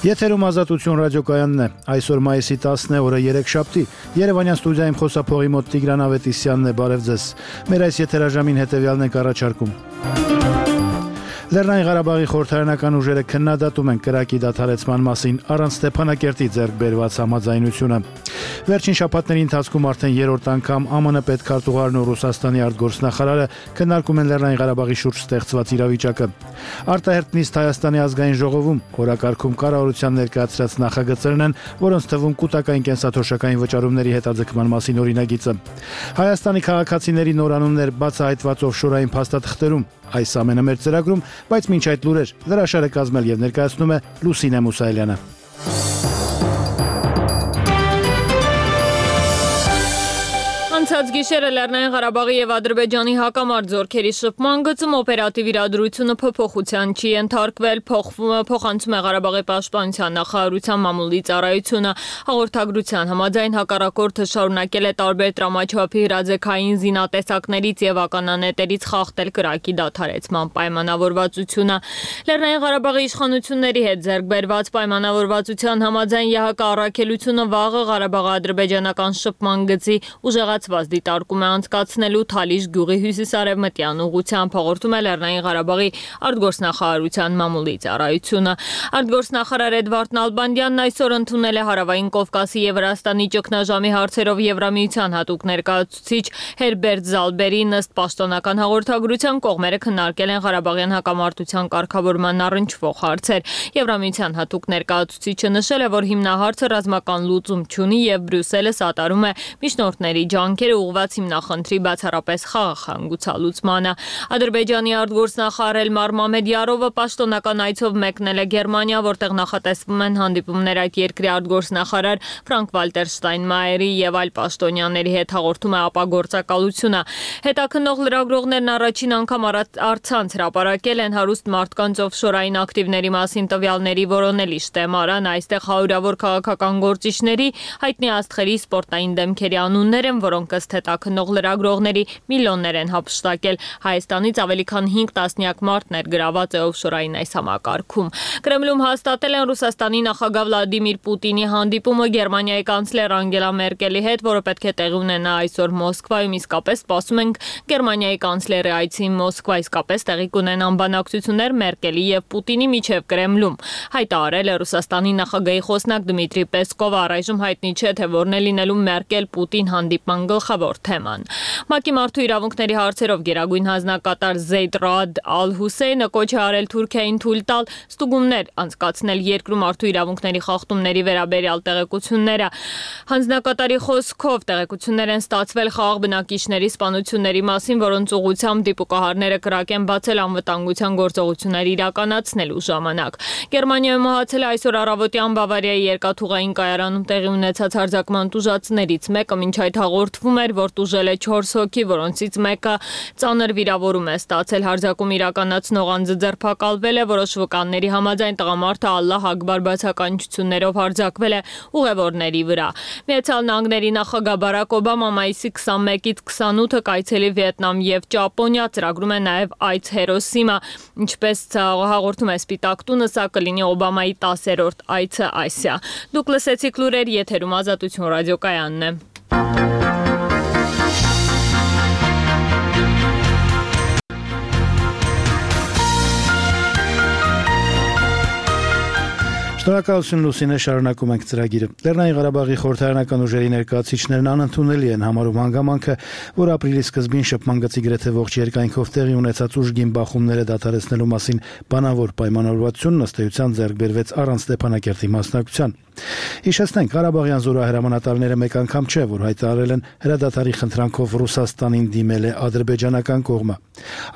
Եթերում Ազատություն ռադիոկայանն է։ Այսօր մայիսի 10-ն է, օրը երեքշաբթի։ Երևանյան ստուդիայում խոսափողի մոտ Տիգրան Ավետիսյանն է, բարև ձեզ։ Մեր այս եթերաժամին հետևյալն ենք առաջարկում։ Լեռնային Ղարաբաղի խորհրդարանական ուժերը քննադատում են կրակի դադարեցման մասին առանց Ստեփանակերտի ձեռք բերված համաձայնությունը։ Վերջին շաբաթների ընթացքում արդեն երրորդ անգամ ԱՄՆ պետքարտուղարն ու Ռուսաստանի արտգործնախարարը քննարկում են Լեռնային Ղարաբաղի շուրջ ստեղծված իրավիճակը։ Արտահերթ նիստ Հայաստանի ազգային ժողովում օրակարգում կառավարության ներկայացրած նախագծերն են, որոնց թվում կൂട്ടակային կենսաթոշակային վճարումների հետաձգման մասին օրինագիծը։ Հայաստանի քաղաքացիների նորանուններ բացահայտված օֆշորային փաստաթղթերում այս ամենը մեր ծրագրում, բայց մինչ այդ լուրեր հրաշալը կազմել եւ ներկայացնում է Լուսինե Մուսայելյանը։ Անցած գիշերը Լեռնային Ղարաբաղի եւ Ադրբեջանի հակամարտ զորքերի շփման գծում օպերատիվ իրադրությունը փոփոխության չի ենթարկվել, փոխանցում է Ղարաբաղի պաշտպանության նախարարության մամուլի ծառայությունը։ Հաղորդագրության համաձայն հակառակորդը շարունակել է տարբեր տրամաչափի հրաձգային զինատեսակներից եւ ականանետերից խախտել կրակի դադարեցման պայմանավորվածությունը։ Լեռնային Ղարաբաղի իշխանությունների հետ ձեռք բերված պայմանավորվածության համաձայն ԵՀԿ առաքելությունը վաղը Ղարաբաղ-ադրբեջանական շփման գծի ուժեղացված դիտարկում է անցկացնելու Թալիշ գյուղի հյուսիսարևմտյան ուղղությամբ, հաղորդում է Լեռնային Ղարաբաղի արտգործնախարարության մամուլի ծառայությունը։ Արտգործնախարար Էդվարդ Նալբանդյանն այսօր ընդունել է Հարավային Կովկասի եւ Վրաստանի ճգնաժամի հարցերով Եվրամիության հատուկ ներկայացուցիչ Հերբերտ Զալբերին ըստ պաշտոնական հաղորդագրության կողմերը քննարկել են Ղարաբաղյան հակամարտության կարգավորման առնչվող հարցեր։ Եվրամիության հատուկ ներկայացուցիչը նշել է, որ հիմնահարցը ռազմական լուծում չունի եւ Բրյուսելը սատարում է միջնորդների ջանքերը ուղղված հիմնախնդրի բացառապես խաղաղ գուցալուծմանը։ Ադրբեջանի արտգործնախարար Էլմար Մամեդյարովը պաշտոնական այցով մեկնել է Գերմանիա, որտեղ նախատեսվում են հանդիպումներ այդ երկրի արտգործնախարար Ֆրանկ Վալտեր Շտայնմայերի եւ այլ պաշտոնյաների հետ, հաղորդում է ապագործակալությունը։ Հետաքննող լրագրողներն առաջին անգամ առցանց հրապարակել են հարուստ մարդկանց օֆշորային ակտիվների մասին տվյալների որոնելի շտեմարան, այստեղ հարյուրավոր քաղաքական գործիչների, հայտնի աստղերի, սպորտային դեմքերի անուններ են, որոնք ըստ հետաքննող լրագրողների միլիոններ են հափշտակել։ Հայաստանից ավելի քան 5 տասնյակ մարդ ներգրաված է օֆշորային այս համակարգում։ Կրեմլում հաստատել են Ռուսաստանի նախագահ Վլադիմիր Պուտինի հանդիպումը Գերմանիայի կանցլեր Անգելա Մերկելի հետ, որը պետք է տեղի ունենա այսօր Մոսկվայում, իսկապես սպասում ենք Գերմանիայի կանցլերի այցին Մոսկվա, իսկապես տեղի կունենան բանակցություններ Մերկելի եւ Պուտինի միջև Կրեմլում։ Հայտարարել է Ռուսաստանի նախագահի խոսնակ Դմիտրի Պեսկովը, առայժմ հայտնի չէ, թե որն է լինելու Մերկել-Պուտին հանդիպման գլխավոր թեման։ ՄԱԿ-ի մարդու իրավունքների հարցերով գերագույն հանձնակատար Զեյդ Ռաադ Ալ-Հուսեյնը կոչ է արել Թուրքիային թույլ տալ ստուգումներ անցկացնել երկրում մարդու իրավունքների խախտումների վերաբերյալ տեղեկությունները։ Հանձնակատարի խոսքով տեղեկություններ են ստացվել խաղաղ բնակիչների սպանությունների մասին, որոնց ուղղությամբ դիպուկահարները կրակ են բացել անվտանգության գործողություններ իրականացնելու ժամանակ։ Գերմանիայում մահացել է այսօր առավոտյան Բավարիայի երկաթուղային կայարանում տեղի ունեցած հարձակման տուժածներից մեկը, մինչ այդ հաղորդվում էր, որ տուժել է 4 հոգի, որոնցից մեկը ծանր վիրավորում է ստացել։ Հարձակում իրականացնող անձը ձերբակալվել է, որոշ վկանների համաձայն տղամարդը Ալլահ Ակբար բացականչություններով հարձակվել է ուղևորների վրա։ Միացյալ Նահանգների նախագահ Բարակ Օբամա մայիսի 21-ից 28-ը կայցելի Վիետնամ եւ Ճապոնիա, ծրագրում է նաեւ այց Հիրոսիմա։ Ինչպես հաղորդում է Սպիտակ տունը, սա կլինի Օբամայի 10-րդ այցը Ասիա։ Դուք լսեցիք լուրեր, եթերում Ազատություն ռադիոկայանն է։ Շնորհակալություն Լուսինե, շարունակում ենք ծրագիրը։ Լեռնային Ղարաբաղի խորհրդարանական ուժերի ներկայացուցիչներն անընդունելի են համարում հանգամանքը, որ ապրիլի սկզբին շփման գծի գրեթե ողջ երկայնքով տեղի ունեցած ուժգին բախումները դադարեցնելու մասին բանավոր պայմանավորվածությունն ըստ էության ձեռք բերվեց առանց Ստեփանակերտի մասնակցության։ Հիշեցնենք, Ղարաբաղյան զորահրամանատարները մեկ անգամ չէ, որ հայտարարել են հրադադարի խնդրանքով Ռուսաստանին դիմել է ադրբեջանական կողմը,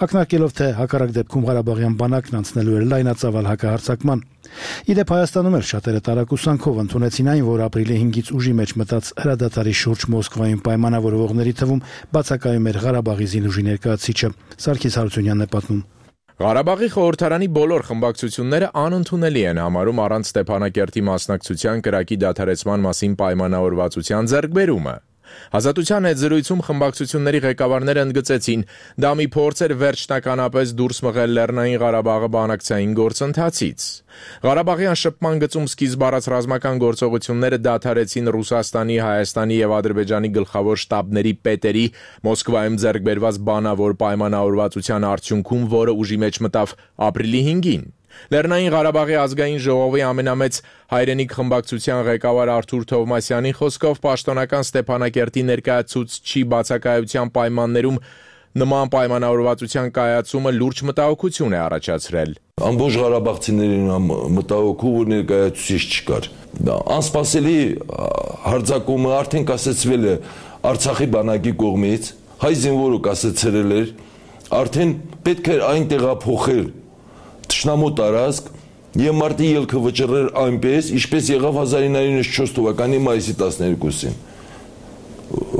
ակնարկելով, թե հակառակ դեպքում Ղարաբաղյան բանակն անցնելու էր լայնածավալ հակահարձակման։ Իդեպ Հայաստանում էլ շատերը տարակուսանքով ընդունեցին այն, որ ապրիլի 5-ից ուժի մեջ մտած հրադադարի շուրջ Մոսկվայում պայմանավորվողների թվում բացակայում էր Ղարաբաղի զինուժի ներկայացուցիչը։ Սարգիս Հարությունյանն է պատմում։ Ղարաբաղի խորհրդարանի բոլոր խմբակցությունները անընդունելի են համարում առանց Ստեփանակերտի մասնակցության կրակի դադարեցման մասին պայմանավորվածության ձեռքբերումը։ Ազատության հետ զրույցում խմբակցությունների ղեկավարները ընդգծեցին, դա մի փորձ էր վերջնականապես դուրս մղել Լեռնային Ղարաբաղը բանակցային գործընթացից։ Ղարաբաղյան շփման գծում սկիզբ առած ռազմական գործողությունները դադարեցին Ռուսաստանի, Հայաստանի եւ Ադրբեջանի գլխավոր շտաբների պետերի Մոսկվայում ձեռք բերված բանավոր պայմանավորվածության արդյունքում, որը ուժի մեջ մտավ ապրիլի 5-ին։ Լեռնային Ղարաբաղի ազգային ժողովի ամենամեծ հայրենիք խմբակցության ղեկավար Արթուր Թովմասյանի խոսքով պաշտոնական Ստեփանակերտի ներկայացուցչի բացակայության պայմաններում նման պայմանավորվածության կայացումը լուրջ մտահոգություն է առաջացրել։ Ամբողջ ղարաբաղցիներին մտահոգում, որ ներկայացուցիչ չկար։ Անսպասելի հարձակումը արդեն կասեցվել է Արցախի բանակի կողմից, հայ զինվորը կասեցրել էր, արդեն պետք է այն տեղափոխել Թշնամու տարածք եւ մարտի ելքը վճռել այնպես, ինչպես եղավ 1994 թվականի մայիսի 12-ին։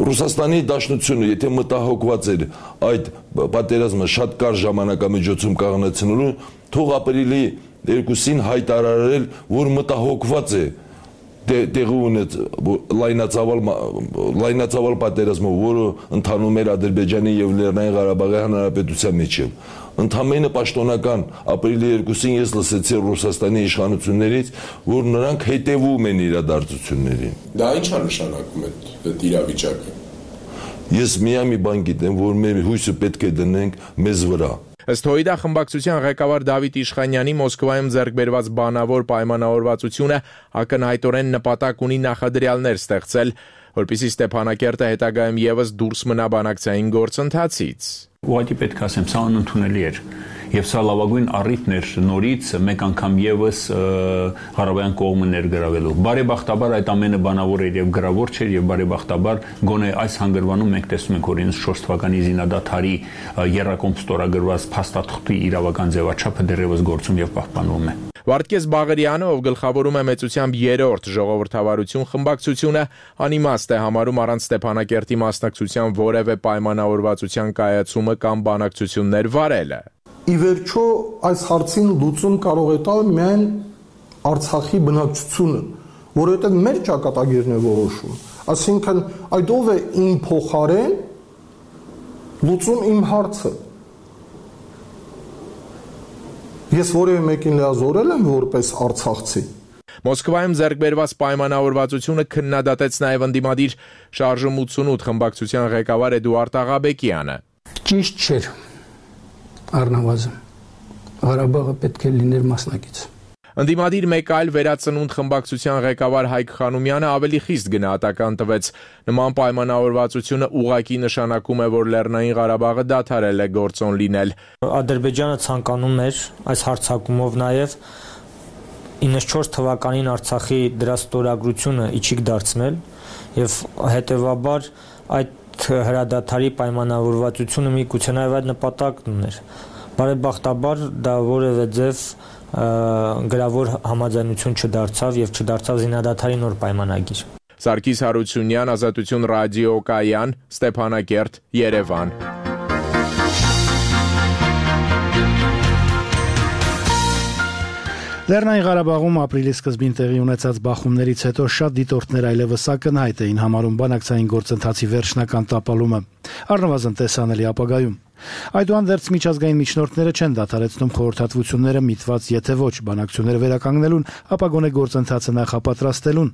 Ռուսաստանի Դաշնությունը, եթե մտահոգված էր այդ պատերազմը շատ կարճ ժամանակամիջոցում կանգնեցնելու, թող ապրիլի 2-ին հայտարարել, որ մտահոգված է տեղի ունեց լայնածավալ պատերազմը, որը ընթանում էր Ադրբեջանի եւ Լեռնային Ղարաբաղի Հանրապետության միջև։ Ընդամենը պաշտոնական ապրիլի 2-ին ես լսեցի Ռուսաստանի իշխանություններից, որ նրանք հետևում են իրադարձություններին։ Դա ի՞նչ է նշանակում այդ իրավիճակը։ Ես միայն մի բան գիտեմ, որ մեր հույսը պետք է դնենք մեզ վրա։ Ըստ Հոյդա խմբակցության ղեկավար Դավիթ Իշխանյանի Մոսկվայում ձեռք բերված բանավոր պայմանավորվածությունը ակնհայտորեն նպատակ ունի նախադրյալներ ստեղծել, որպեսզի Ստեփանակերտը հետագայում եւս դուրս մնա բանակցային գործընթացից։ Ուղղակի պետք է ասեմ, սա անընդունելի էր եւ սա լավագույն առիթն էր նորից մեկ անգամ եւս Ղարաբաղյան կողմը ներգրավելու։ Բարեբախտաբար այդ ամենը բանավոր էր եւ գրավոր չէր եւ բարեբախտաբար գոնե այս հանգրվանում մենք տեսնում ենք օրինակ 4 թվականի զինադադարի երրակոմ ստորագրված փաստաթղթի իրավական ձևաչափը դեռևս գործում եւ պահպանվում է։ Վարդգես Բաղարյանը, ով գլխավորում է մեծությամբ 3-րդ ժողովրդավարություն խմբակցությունը, անիմաստ է համարում առանց Ստեփանակերտի մասնակցության որևէ պայմանավորվածության կայացումը կամ բանակցություններ վարելը։ Ի վերջո այս հարցին լուծում կարող է տալ միայն Արցախի բնակչությունը, որովհետև մեր ճակատագիրն է որոշում։ Այսինքն այդ ով է իմ փոխարեն լուծում իմ հարցը։ Ես որևէ մեկին լիազորել եմ որպես արցախցի։ Մոսկվայում ձեռք բերված պայմանավորվածությունը քննադատեց նաև ընդդիմադիր Շարժում 88 խմբակցության ղեկավար Էդուարդ Աղաբեկյանը։ Ճիշտ չէր, առնվազն Ղարաբաղը պետք է լիներ մասնակից։ Ընդդիմադիր մեկ այլ վերածնունդ խմբակցության ղեկավար Հայկ Խանոմյանը ավելի խիստ գնահատական տվեց նման պայմանավորվածությունը ուղղակի նշանակում է, որ Լեռնային Ղարաբաղը դադարել է գործոն լինել։ Ադրբեջանը ցանկանում էր այս հարձակումով նաև 94 թվականին Արցախի դրա ստորագրությունը իջիկ դարձնել եւ հետեւաբար այդ հրադադարի պայմանավորվածությունը միգուցե նաև այդ նպատակն ուներ։ Բարեբախտաբար դա որևէ ձև գրավոր համաձայնություն չդարձավ եւ չդարձավ զինադադարի նոր պայմանագիր։ Սարգիս Հարությունյան, Ազատություն ռադիո կայան, Ստեփանակերտ, Երևան։ Լեռնային Ղարաբաղում ապրիլի սկզբին տեղի ունեցած բախումներից հետո շատ դիտորդներ այլևս ակնհայտ էին համարում բանակցային գործընթացի վերջնական տապալումը, առնվազն տեսանելի ապագայում։ Այդուհանդերձ միջազգային միջնորդները չեն դադարեցնում խորհրդատվությունները միտված եթե ոչ բանակցությունները վերականգնելուն, ապա գոնե գործընթացը նախապատրաստելուն։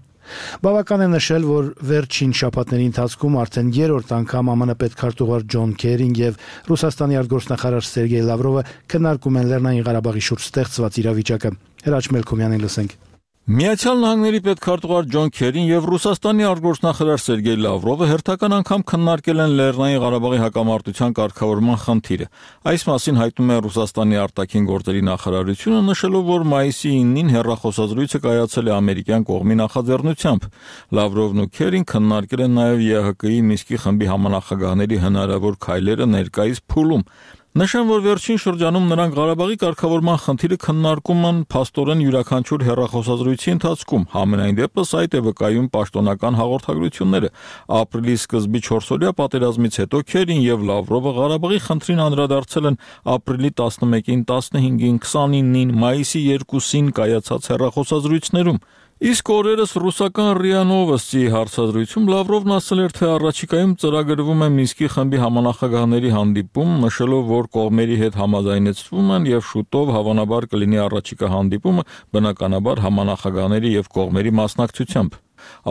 Բավական է նշել, որ վերջին շաբաթների ընթացքում արդեն երրորդ անգամ ԱՄՆ պետքարտուղար Ջոն Քերին եւ Ռուսաստանի արտգործնախարար Սերգեյ Լավրովը քննարկում են Լեռնային Ղարաբաղի շուրջ ստեղծված իրավիճակը։ Հրաչ Մելքոմյանին լսենք։ Միացյալ Նահանգների պետքարտուղար Ջոն Քերին եւ Ռուսաստանի արտգործնախարար Սերգեյ Լավրովը հերթական անգամ քննարկել են Լեռնային Ղարաբաղի հակամարտության կարգավորման խնդիրը։ Այս մասին հայտնում է Ռուսաստանի արտաքին գործերի նախարարությունը, նշելով, որ մայիսի 9-ին հեռախոսազրույցը կայացել է ամերիկյան կողմի նախաձեռնությամբ։ Լավրովն ու Քերին քննարկել են նաեւ ԵՀԿ-ի Մինսկի խմբի համանախագահների հնարավոր քայլերը ներկայիս փուլում։ Նշեմ, որ վերջին շրջանում նրանք Ղարաբաղի կարգավորման խնդիրը քննարկում են փաստորեն յուրաքանչյուր հեռախոսազրույցի ընթացքում, համենայն դեպս այդ է վկայում պաշտոնական հաղորդագրությունները։ Ապրիլի սկզբի 4-օրյա պատերազմից հետո Քերին եւ Լավրովը Ղարաբաղի խնդրին անդրադարձել են ապրիլի 11-ին, 15-ին, 29-ին, մայիսի 2-ին կայացած հեռախոսազրույցներում։ Իսկ օրերս ռուսական ՌԻԱ Նովոստի հարցազրույցում Լավրովն ասել էր, թե առաջիկայում ծրագրվում է Մինսկի խմբի համանախագահների հանդիպում, նշելով, որ կողմերի հետ համաձայնեցվում են եւ շուտով հավանաբար կլինի առաջիկա հանդիպումը բնականաբար համանախագահների եւ կողմերի մասնակցությամբ։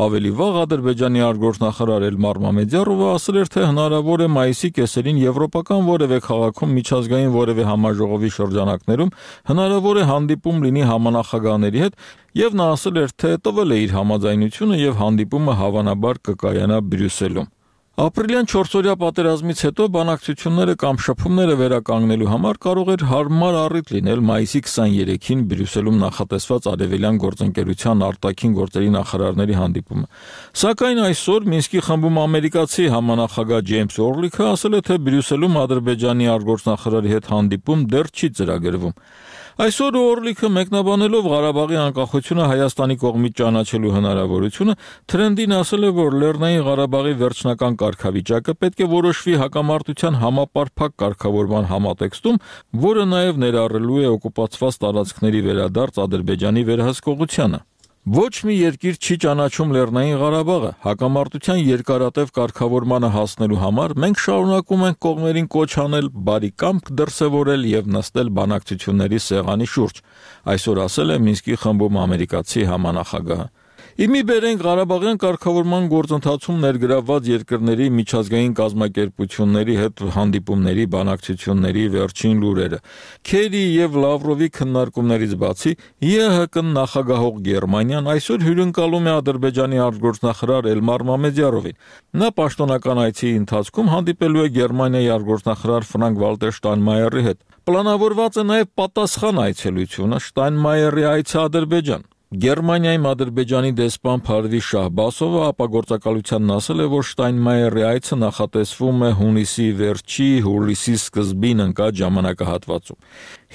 Ավելի վաղ Ադրբեջանի արտգործնախարար Էլմար Մամեդյարովը ասել էր, թե հնարավոր է մայիսի կեսերին եվրոպական որևէ քաղաքում միջազգային որևէ համաժողովի շրջանակներում հնարավոր է հանդիպում լինի համանախագահների հետ, եւ նա ասել էր, թե տվել է իր համաձայնությունը եւ հանդիպումը հավանաբար կկայանա Բրյուսելում։ Ապրիլյան 4-օրյա պատերազմից հետո բանակցությունները կամ շփումները վերականգնելու համար կարող էր հարմար առիթ լինել մայիսի 23-ին Բրյուսելում նախատեսված Արևելյան գործընկերության արտաքին գործերի նախարարների հանդիպումը։ Սակայն այսօր Մինսկի խմբում ամերիկացի համանախագահ Ջեյմս Օրլիքը ասել է, թե Բրյուսելում Ադրբեջանի արտգործնախարարի հետ հանդիպում դեռ չի ծրագրվում։ Այսօր Օրլիքը մեկնաբանելով Ղարաբաղի անկախությունը Հայաստանի կողմից ճանաչելու հնարավորությունը, Թրենդին ասել է, որ Լեռնային Ղարաբաղի վերջնական կարգավիճակը պետք է որոշվի հակամարտության համապարփակ կարգավորման համատեքստում, որը նաև ներառելու է օկուպացված տարածքների վերադարձ Ադրբեջանի վերահսկողությանը։ Ոչ մի երկիր չի ճանաչում Լեռնային Ղարաբաղը։ Հակամարտության երկարատև կարգավորմանը հասնելու համար մենք շարունակում ենք կողմերին կոչ անել բարի կամք դրսևորել եւ նստել բանակցությունների սեղանի շուրջ, այսօր ասել է Մինսկի խմբում ամերիկացի համանախագահը։ Իմի բերենք Ղարաբաղյան կարգավորման գործընթացում ներգրավված երկրների միջազգային կազմակերպությունների հետ հանդիպումների բանակցությունների վերջին լուրերը։ Քերի եւ Լավրովի քննարկումներից բացի ԵՀԿ նախագահող Գերմանիան այսօր հյուրընկալում է Ադրբեջանի արտգործնախարար Էլմար Մամեդյարովին։ Նա պաշտոնական այցի ընթացքում հանդիպելու է Գերմանիայի արտգործնախարար Ֆրանկ Վալտեր Շտայնմայերի հետ։ Պլանավորված է նաև պատասխան այցելությունը Շտայնմայերի այցը Ադրբեջան։ Գերմանիայում Ադրբեջանի դեսպան Փարվի Շահբասովը ապագործակալությանն ասել է, որ Շտայնմայերի այցը նախատեսվում է հունիսի վերջի, հուլիսի սկզբին ընկած ժամանակահատվածում։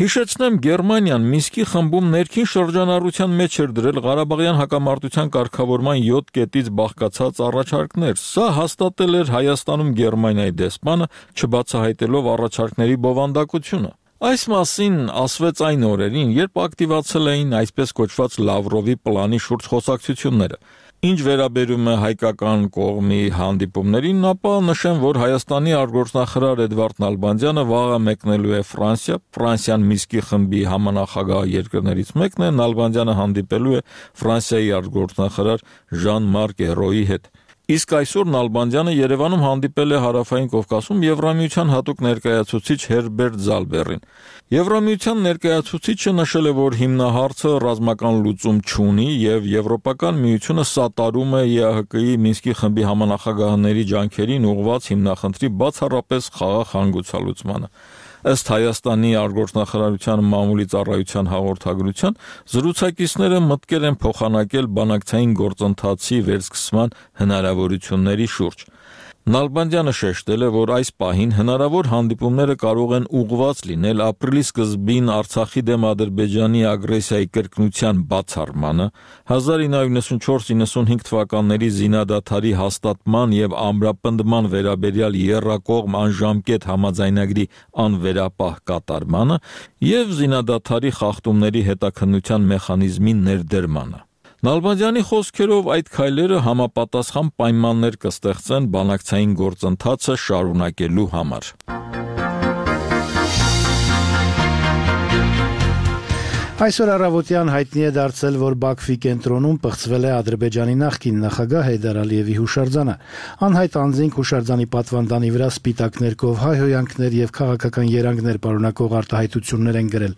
Հիշեցնեմ, Գերմանիան Մինսկի խմբում ներքին շրջանառության մեջ էր դրել Ղարաբաղյան հակամարտության կարգավորման 7 կետից բաղկացած առաջարկներ։ Սա հաստատել էր Հայաստանում Գերմանիայի դեսպանը, չբացահայտելով առաջարկների բովանդակությունը։ Այս մասին ասվեց այն օրերին, երբ ակտիվացել էին այսպես կոչված Լավրովի պլանի շուրջ խոսակցությունները։ Ինչ վերաբերում է հայկական կողմի հանդիպումներին, ապա նշեմ, որ Հայաստանի արտգործնախարար Էդվարդ Նալբանդյանը վաղը մեկնելու է Ֆրանսիա, Ֆրանսիան Մինսկի խմբի համանախագահ երկրներից մեկն է, Նալբանդյանը հանդիպելու է Ֆրանսիայի արտգործնախարար Ժան-Մարկ Էրոյի հետ։ Իսկ այսօր Նալբանդյանը Երևանում հանդիպել է Հարավային Կովկասում Եվրամիության հատուկ ներկայացուցիչ Հերբերտ Զալբերին։ Եվրամիության ներկայացուցիչը նշել է, որ հիմնահարցը ռազմական լուծում չունի եւ Եվրոպական միությունը սատարում է ԵԱՀԿ-ի Մինսկի խմբի համանախագահների ջանքերին ուղղված հիմնախնդրի բացառապես խաղաղ հանգուցալուծմանը։ Ըստ Հայաստանի արտգործնախարարության մամուլի ծառայության հաղորդագրության, զրուցակիցները մտկել են փոխանակել բանակցային գործընթացի վերսկսման հնարավորությունների շուրջ։ Նալբանդյանը շեշտել է, որ այս պահին հնարավոր հանդիպումները կարող են ուղղված լինել ապրիլի սկզբին Արցախի դեմ Ադրբեջանի ագրեսիայի կրկնության բացառմանը, 1994-95 թվականների զինադադարի հաստատման եւ ամրապնդման վերաբերյալ եռակողմ անժամկետ համաձայնագրի անվերապահ կատարմանը եւ զինադադարի խախտումների հետաքննության մեխանիզմի ներդրմանը։ Նալբանդյանի խոսքերով այդ քայլերը համապատասխան պայմաններ կստեղծեն բանակցային գործընթացը շարունակելու համար։ Այսօր առավոտյան հայտնի է դարձել, որ Բաքվի կենտրոնում պղծվել է Ադրբեջանի նախկին նախագահ Հեյդար Ալիևի հուշարձանը։ Անհայտ անձինք հուշարձանի պատվանդանի վրա սպիտակ ներկով հայհոյանքներ եւ քաղաքական երանգներ պարունակող արտահայտություններ են գրել։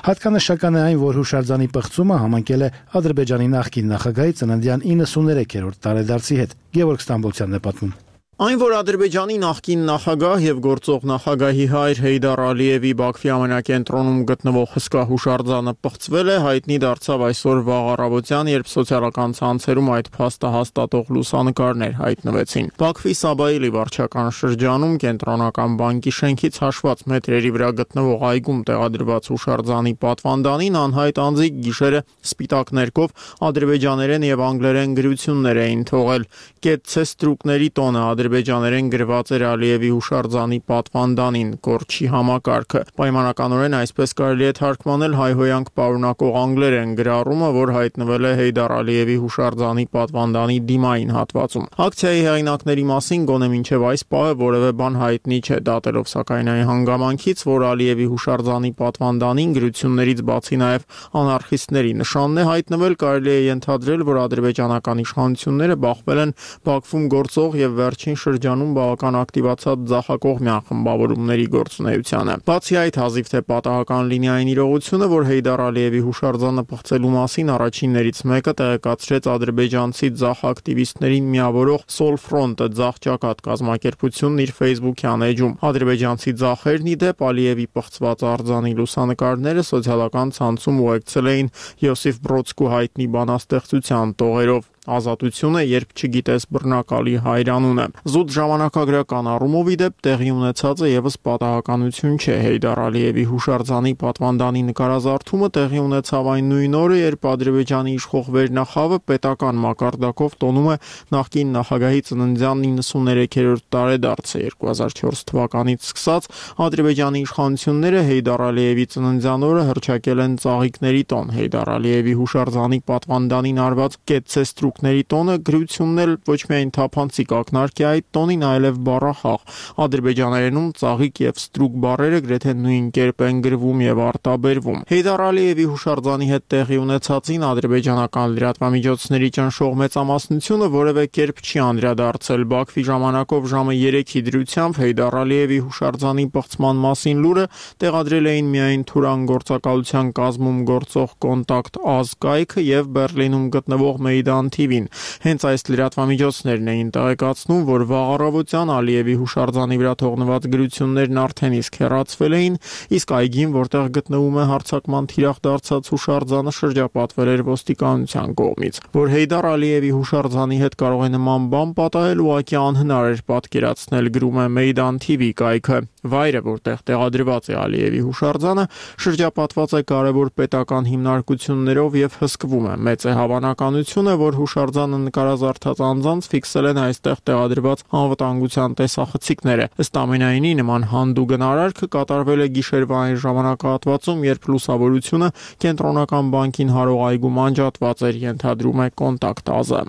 Հատկանշական է այն, որ հուշարձանի պղծումը համընկել է Ադրբեջանի նախկին նախագահի ծննդյան 93-րդ տարեդարձի հետ։ Գևորգ Ստամբոլցյանն է պատմում։ Այն, որ Ադրբեջանի նախկին նախագահ եւ գործող նախագահի հայր Հեյդար Ալիևի Բաքվի ամենակենտրոնում գտնվող հսկա հուշարձանը պղծվել է, հայտնի դարձավ այսօր վաղ առավոտյան, երբ սոցիալական ցանցերում այդ փաստը հաստատող լուսանկարներ հայտնվեցին։ Բաքվի Սաբայելի վարչական շրջանում կենտրոնական բանկի շենքից հաշված մետրերի վրա գտնվող այգում տեղադրված հուշարձանի պատվանդանին անհայտ անձիկ գիշերը սպիտակ ներկով ադրբեջաներեն եւ անգլերեն գրություններ էին թողել։ Կեցցե ստրուկների տոնը ադրբեջաներեն գրված էր Ալիևի հուշարձանի պատվանդանին, կորչի համակարգը։ Պայմանականորեն այսպես կարելի է թարգմանել հայհոյանք պարունակող անգլերեն գրառումը, որ հայտնվել է Հեյդար Ալիևի հուշարձանի պատվանդանի դիմային հատվածում։ Ակցիայի հեղինակների մասին գոնե մինչև այս պահը որևէ բան հայտնի չէ, դատելով սակայն այն հանգամանքից, որ Ալիևի հուշարձանի պատվանդանին գրություններից բացի նաև անարխիստների նշանն է հայտնվել, կարելի է ենթադրել, որ ադրբեջանական իշխանությունները բախվել են Բաքվում գործող եւ վերջին շրջանում բավական ակտիվացած ձախակողմյան խմբավորումների գործունեությանը։ Բացի այդ, հազիվ թե պատահական լինի այն իրողությունը, որ Հեյդար Ալիևի հուշարձանը պղծելու մասին առաջիններից մեկը տեղեկացրեց ադրբեջանցի ձախ ակտիվիստներին միավորող Սոլֆրոնտը ձախճակատ կազմակերպությունն իր Facebook-յան էջում։ Ադրբեջանցի ձախերն ի դեպ Ալիևի պղծված արձանի լուսանկարները սոցիալական ցանցում ուղեկցել էին Յոսիֆ Բրոդսկու հայտնի բանաստեղծության տողերով։ Ազատությունը, երբ չգիտես բռնակալի հայրանունը։ Զուտ ժամանակագրական առումով ի դեպ տեղի ունեցածը եւս պատահականություն չէ։ Հեյդար Ալիևի հուշարձանի պատվանդանի նկարազարդումը տեղի ունեցավ այն նույն օրը, երբ Ադրբեջանի իշխող վերնախավը պետական մակարդակով տոնում է նախկին նախագահի ծննդյան 93-րդ տարեդարձը 2004 թվականից սկսած Ադրբեջանի իշխանությունները Հեյդար Ալիևի ծննդյան օրը հռչակել են ծաղիկների տոն։ Հեյդար Ալիևի հուշարձանի պատվանդանին արված կետցեստրուկների տոնը գրությունն էլ ոչ միայն թափանցիկ ակնարկ է այդ տոնին, այլև բառախաղ։ Ադրբեջաներենում ծաղիկ եւ ստրուկ բառերը գրեթե նույն կերպ են գրվում եւ արտաբերվում։ Հեյդար Ալիևի հուշարձանի հետ տեղի ունեցածին ադրբեջանական լրատվամիջոցների ճնշող մեծամասնությունը որևէ կերպ չի անդրադարձել։ Բաքվի ժամանակով ժամը 3-ի դրությամբ Հեյդար Ալիևի հուշարձանի պղծման մասին լուրը տեղադրել էին միայն Թուրան գործակալության կազմում գործող Կոնտակտ Ազ կայքը եւ Բերլինում գտնվող Մեյդան TV-ն։ Հենց այս լրատվամիջոցներն էին տեղեկացնում, որ վաղ առավոտյան Ալիևի հուշարձանի վրա թողնված գրություններն արդեն իսկ հեռացվել էին, իսկ այգին, որտեղ գտնվում է հարձակման թիրախ դարձած հուշարձանը, շրջապատվել էր ոստիկանության կողմից։ Որ Հեյդար Ալիևի հուշարձանի հետ կարող է նման բան պատահել, ուղղակի անհնար էր պատկերացնել, գրում է Մեյդան TV կայքը։ Վայրը, որտեղ տեղադրված է Ալիևի հուշարձանը, շրջապատված է կարևոր պետական հիմնարկություններով եւ հսկվում է։ Մեծ է հավանականությունը, որ հուշարձանը նկարազարդած անձանց ֆիքսել են այստեղ տեղադրված անվտանգության տեսախցիկները։ Ըստ ամենայնի, նման հանդուգն արարքը կատարվել է գիշերվա այն ժամանակահատվածում, երբ լուսավորությունը կենտրոնական բանկին հարող այգում անջատված էր, ենթադրում է Կոնտակտ Ազը։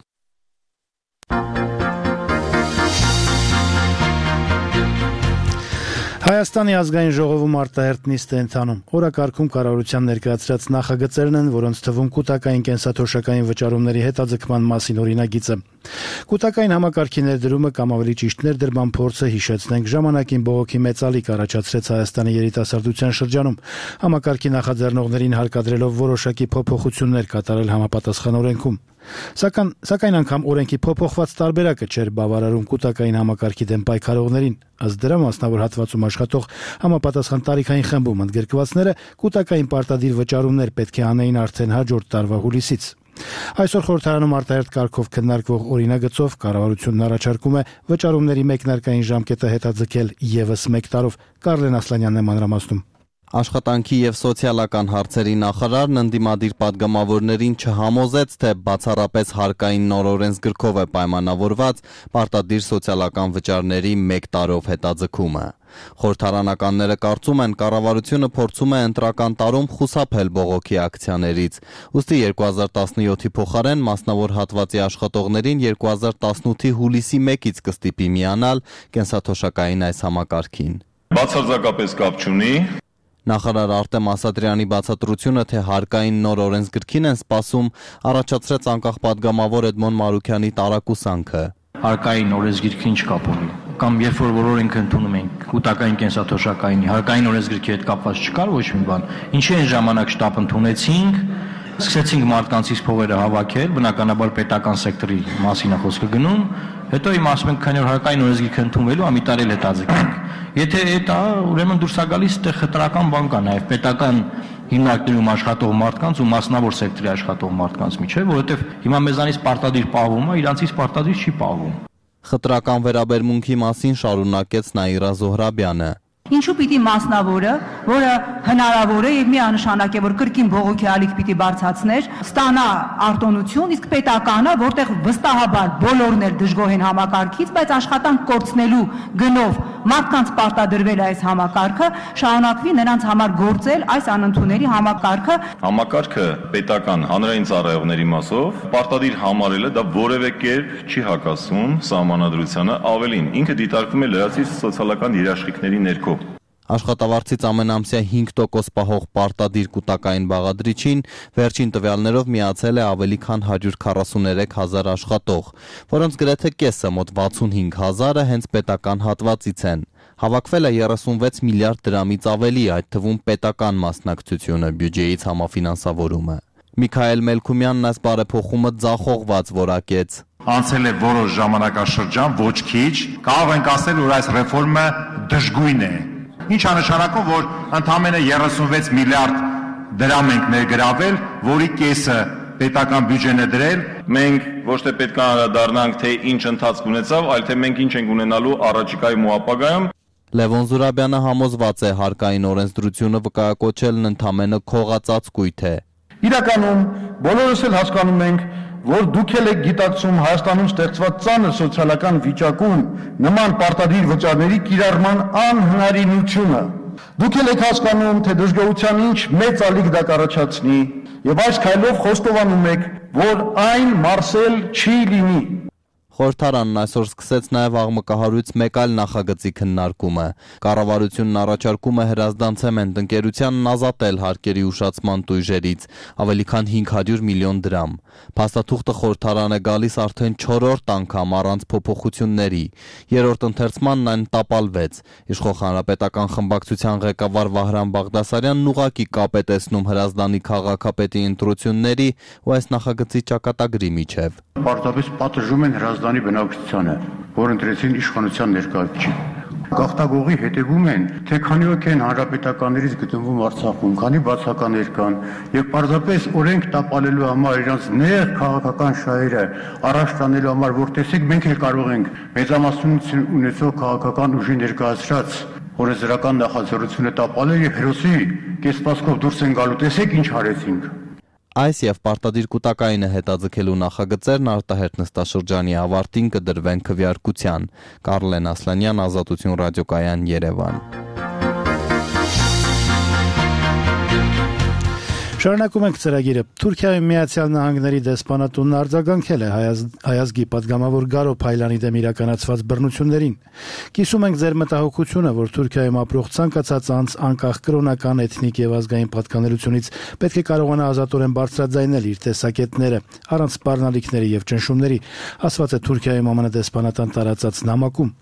Հայաստանի ազգային ժողովում արտահերթ նիստ է ընթանում։ Օրակարգում կառավարության ներկայացրած նախագծերն են, որոնց թվում կൂട്ടակային կենսաթոշակային վճարումների հետաձգման մասին օրինագիծը։ Կൂട്ടակային համակարգի ներդրումը կամ ավելի ճիշտ ներդրման փորձը, հիշեցնենք, ժամանակին բողոքի մեծ ալիք առաջացրեց Հայաստանի երիտասարդության շրջանում։ Համակարգի նախաձեռնողներին հարկադրելով որոշակի փոփոխություններ կատարել համապատասխան օրենքում։ Սակայն անգամ օրենքի փոփոխված տարբերակը չէր բավարարում կൂട്ടակային համակարգի դեմ պայքարողներին։ Ըստ դրա, մասնավոր հատվածում աշխատող համապատասխան տարիքային խմբում ընդգրկվածները կൂട്ടակային պարտադիր վճարումներ պետք է անեին արդեն հաջորդ տարվա հուլիսից։ Այսօր խորհրդարանում արտահերթ կարգով քննարկվող օրինագծով կառավարությունն առաջարկում է վճարումների մեկնարկային ժամկետը հետաձգել ևս 1 տարով։ Կարլեն Ասլանյանն է մանրամասնում։ Աշխատանքի եւ սոցիալական հարցերի նախարարն ընդդիմադիր падգամավորներին չհամոզեց, թե բացառապես հարկային նոր օրենսգրքով է պայմանավորված պարտադիր սոցիալական վճարների 1 տարով հետաձգումը։ Խորհրդարանականները կարծում են, կառավարությունը փորձում է ընտրական տարում խուսափել բողոքի ակցիաներից։ Ուստի 2017-ի փոխարեն մասնավոր հատվածի աշխատողներին 2018-ի հուլիսի 1-ից կստիպի միանալ կենսաթոշակային այս համակարգին։ Բացարձակապես կապ չունի։ Նախարար Արտեմ Ասատրյանի բացատրությունը, թե հարկային նոր օրենսգրքին են սպասում, առաջացրեց անկախ падգամավոր Էդմոն Մարուքյանի տարակուսանքը։ Հարկային օրենսգրքին չկապ ունի։ Կամ երբ որ օրենք ընդունում ենք կൂട്ടակային կենսաթոշակայինի, հարկային օրենսգրքի հետ կապված չկար ոչ մի բան։ Ինչի այն ժամանակ շտապ ընդունեցինք, սկսեցինք մարդկանցից փողերը հավաքել, բնականաբար պետական սեկտորի մասին է խոսքը գնում, հետո իմ ասում ենք, քանի որ հարկային օրենսգիրքը ընդունվելու է, մի տարի էլ հետաձգենք։ Եթե դա ուրեմն դուրս է գալիս, այդտեղ խտրական բան կա նաև պետական հիմնարկներում աշխատող մարդկանց ու մասնավոր սեկտորի աշխատող մարդկանց միջև, որովհետև հիմա մեզանից պարտադիր պահվում է, իրանցից պարտադիր չի պահվում։ Խտրական վերաբերմունքի մասին շարունակեց Նաիրա Զոհրաբյանը։ Ինչու պիտի մասնավորը, որը հնարավոր է եւ միանշանակ է, որ կրկին բողոքի ալիք պիտի բարձրացներ, ստանա արտոնություն, իսկ պետականը, որտեղ վստահաբար բոլորն էլ դժգոհ են համակարգից, բայց աշխատանք կորցնելու գնով մարդկանց պարտադրվել այս համակարգը, շարունակվի նրանց համար գործել այս անընդունելի համակարգը։ Համակարգը պետական հանրային ծառայողների մասով պարտադիր համարելը դա որևէ կերպ չի հակասում սահմանադրությանը, ավելին ինքը դիտարկվում է լրացուցիչ սոցիալական երաշխիքների ներքո։ Աշխատավարձից ամենամսյա 5% պահող պարտադիր կൂട്ടակային բաղադրիչին վերջին տվյալներով միացել է ավելի քան 143,000 աշխատող, որոնց գրեթե կեսը մոտ 65,000-ը հենց պետական հատվածից են։ Հավաքվել է 36 միլիարդ դրամից ավելի, այդ թվում պետական մասնակցությունը, բյուջեից համաֆինանսավորումը։ Միքայել Մելքումյանն այս բարեփոխումը ձախողված որակեց։ Անցել է որոշ ժամանակաշրջան, ոչ քիչ, կարող ենք ասել, որ այս ռեֆորմը դժգույն է։ Ինչ անշանակում, որ ընդամենը 36 միլիարդ դրամ ենք ներգրավել, որի կեսը պետական բյուջեն է դրել։ Մենք ոչ թե պետք է անդրադառնանք, թե ինչ ընթացք ունեցավ, այլ թե մենք ինչ ենք ունենալու առաջիկայում ու ապագայում։ Լևոն Զուրաբյանը համոզված է, հարկային օրենսդրությունը վկայակոչելն ընդամենը քողածածկույթ է։ Իրականում բոլորս էլ հասկանում ենք, որ դուք եք գիտակցում Հայաստանում ստեղծված ծանր սոցիալական վիճակում նման պարտադիր վճարների կիրառման անհնարինությունը։ Դուք եք հասկանում, թե դժգոհության ինչ մեծ ալիք դա կառաջացնի, եւ այս քայլով խոստովանում եք, որ այն մարսել չի լինի։ Խորհրդարանն այսօր սկսեց նաև աղմկահարույց մեկ այլ նախագծի քննարկումը։ Կառավարությունն առաջարկում է հրազդան ընկերությանն ազատել հարկերի ուշացման տույժերից ավելի քան 500 միլիոն դրամ։ Փաստաթուղթը խորհրդարան է գալիս արդեն 4-րդ անգամ առանց փոփոխությունների։ Երրորդ ընթերցմանն այն տապալվեց։ Իշխող հանրապետական խմբակցության ղեկավար Վահրամ Բաղդասարյանն ուղղակի կապ է տեսնում հրազդանի քաղաքապետի ընտրությունների ու այս նախագծի ճակատագրի միջև։ Պարտադիր պատժում են հրազդանի բնակչությանը, որ ընտրեցին իշխանության ներկայացուցիչ։ Գաղթագողի հետևում են, թե քանի ոք են հանրապետականներից գտնվում Արցախում, քանի բացականներ կան, եւ պարզապես օրենք տապալելու համար իրենց նեղ քաղաքական շահերը առաջ տանելու համար, որ տեսեք մենք էլ կարող ենք մեծամասնություն ունեցող քաղաքական ուժի ներկայացրած օրենսդրական նախաձեռնությունը տապալել եւ հերոսի կեսպասկով դուրս են գալու, տեսեք ինչ արեցինք։ Այս եւ պարտադիր կൂട്ടակայինը հետաձգելու նախագծերն արտահերթ նստաշրջանի ավարտին կդրվեն քվեարկության։ Կարլեն Ասլանյան, Ազատություն ռադիոկայան, Երևան։ Շարունակում ենք ծրագիրը։ Թուրքիայում Միացյալ Նահանգների դեսպանատունն արձագանքել է հայազգի պատգամավոր Գարո Փայլյանի դեմ իրականացված բռնություններին։ Կիսում ենք ձեր մտահոգությունը, որ Թուրքիայում ապրող ցանկացած անձ անկախ կրոնական, էթնիկ եւ ազգային պատկանելությունից պետք է կարողանա ազատորեն բարձրաձայնել իր տեսակետները, առանց սպառնալիքների եւ ճնշումների, ասված է Թուրքիայում ԱՄՆ դեսպանատան տարածած նամակում։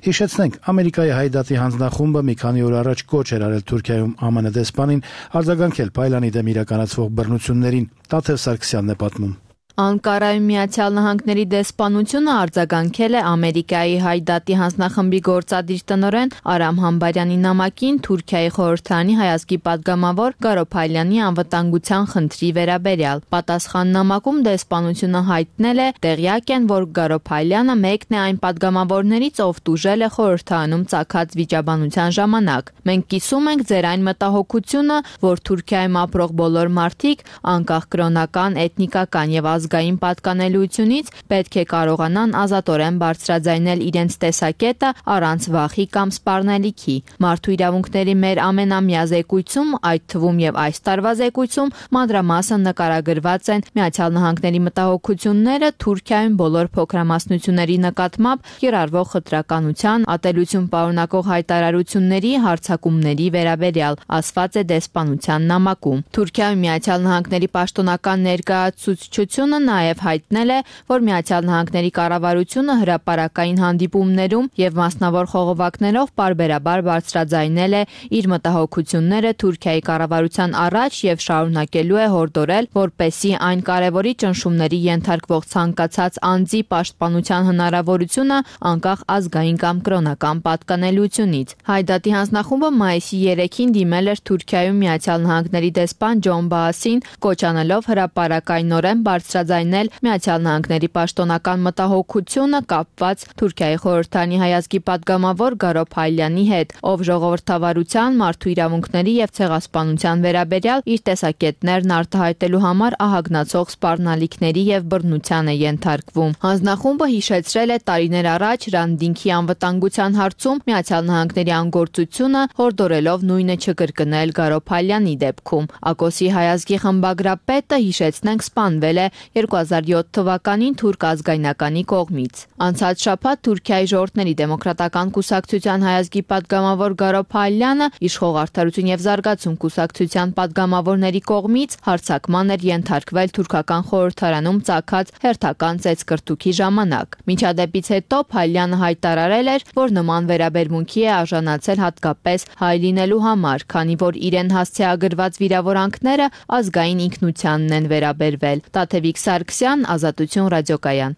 Հիշեցնենք, Ամերիկայի Հայդատի հանձնախումբը մի քանի օր առաջ կոչ էր արել Թուրքիայում ԱՄՆ դեսպանին արձագանքել Փայլյանի դեմ իրականացվող բռնություններին։ Տաթև Սարգսյանն է պատմում։ Անկարայում Միացյալ Նահանգների դեսպանությունը արձագանքել է Ամերիկայի Հայդատի հանձնախմբի գործադիր տնօրեն Արամ Համբարյանի նամակին Թուրքիայի խորհրդարանի հայազգի պատգամավոր Գարո Փայլյանի անվտանգության խնդրի վերաբերյալ։ Պատասխան նամակում դեսպանությունը հայտնել է, տեղյակ են, որ Գարո Փայլյանը մեկն է այն պատգամավորներից, ով տուժել է խորհրդարանում ծագած վիճաբանության ժամանակ։ Մենք կիսում ենք ձեր այն մտահոգությունը, որ Թուրքիայում ապրող բոլոր մարդիկ անկախ կրոնական, էթնիկական եւ ազգային պատկանելությունից պետք է կարողանան ազատորեն բարձրաձայնել իրենց տեսակետը առանց վախի կամ սպառնալիքի։ Մարդու իրավունքների մեր ամենամյա զեկույցում, այդ թվում եւ այս տարվա զեկույցում, մանրամասն նկարագրված են Միացյալ Նահանգների մտահոգությունները Թուրքիայում բոլոր փոքրամասնությունների նկատմամբ կիրառվող խտրականության, ատելություն պարունակող հայտարարությունների, հարձակումների վերաբերյալ, ասված է դեսպանության նամակում։ Թուրքիայում Միացյալ Նահանգների պաշտոնական ներկայացուցչությունը նաև հայտնել է, որ Միացյալ Նահանգների կառավարությունը հրապարակային հանդիպումներում եւ մասնավոր խողովակներով պարբերաբար բարձրաձայնել է իր մտահոգությունները Թուրքիայի կառավարության առաջ եւ շարունակելու է հորդորել, որպեսզի այն կարևորի ճնշումների ենթարկվող ցանկացած անձի պաշտպանության հնարավորությունը անկախ ազգային կամ կրոնական պատկանելությունից։ Հայդատի հանձնախումբը մայիսի 3-ին դիմել էր Թուրքիայում Միացյալ Նահանգների դեսպան Ջոն Բաասին, կոչ անելով հրապարակայնորեն բարձրաձայնել բարձրաձայնել Միացյալ Նահանգների պաշտոնական մտահոգությունը կապված Թուրքիայի խորհրդարանի հայազգի падգամավոր Գարո Փայլյանի հետ, ով ժողովրդավարության, մարդու իրավունքների եւ ցեղասպանության վերաբերյալ իր տեսակետներն արտահայտելու համար ահագնացող սպառնալիքների եւ բռնության է ենթարկվում։ Հանձնախումբը հիշեցրել է տարիներ առաջ Ռանդինքի անվտանգության հարցում Միացյալ Նահանգների անգործությունը, հորդորելով նույնը չկրկնել Գարո Փայլյանի դեպքում։ ԱԿՕՍ-ի հայազգի խմբագրապետը, հիշեցնենք, սպանվել է 2007 թվականին թուրք ազգայնականի կողմից։ Անցած շաբաթ Թուրքիայի ժողովրդների դեմոկրատական կուսակցության հայազգի падգամավոր Գարո Փայլյանը իշխող Արդարություն եւ զարգացում կուսակցության падգամավորների կողմից հարձակման էր ենթարկվել թուրքական խորհրդարանում ծագած հերթական ծեծկրտուքի ժամանակ։ Միջադեպից հետո Փայլյանը հայտարարել էր, որ նման վերաբերմունքի է արժանացել հատկապես հայ լինելու համար, քանի որ իրեն հասցեագրված վիրավորանքները ազգային ինքնությանն են վերաբերվել։ Տաթևիկ Սարգսյան, Ազատություն ռադիոկայան։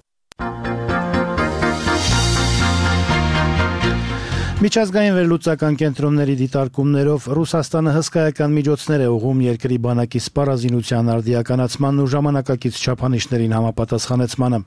Միջազգային վերլուծական կենտրոնների դիտարկումներով Ռուսաստանը հսկայական միջոցներ է ուղղում երկրի բանակի սպառազինության արդիականացմանն ու ժամանակակից չափանիշներին համապատասխանեցմանը։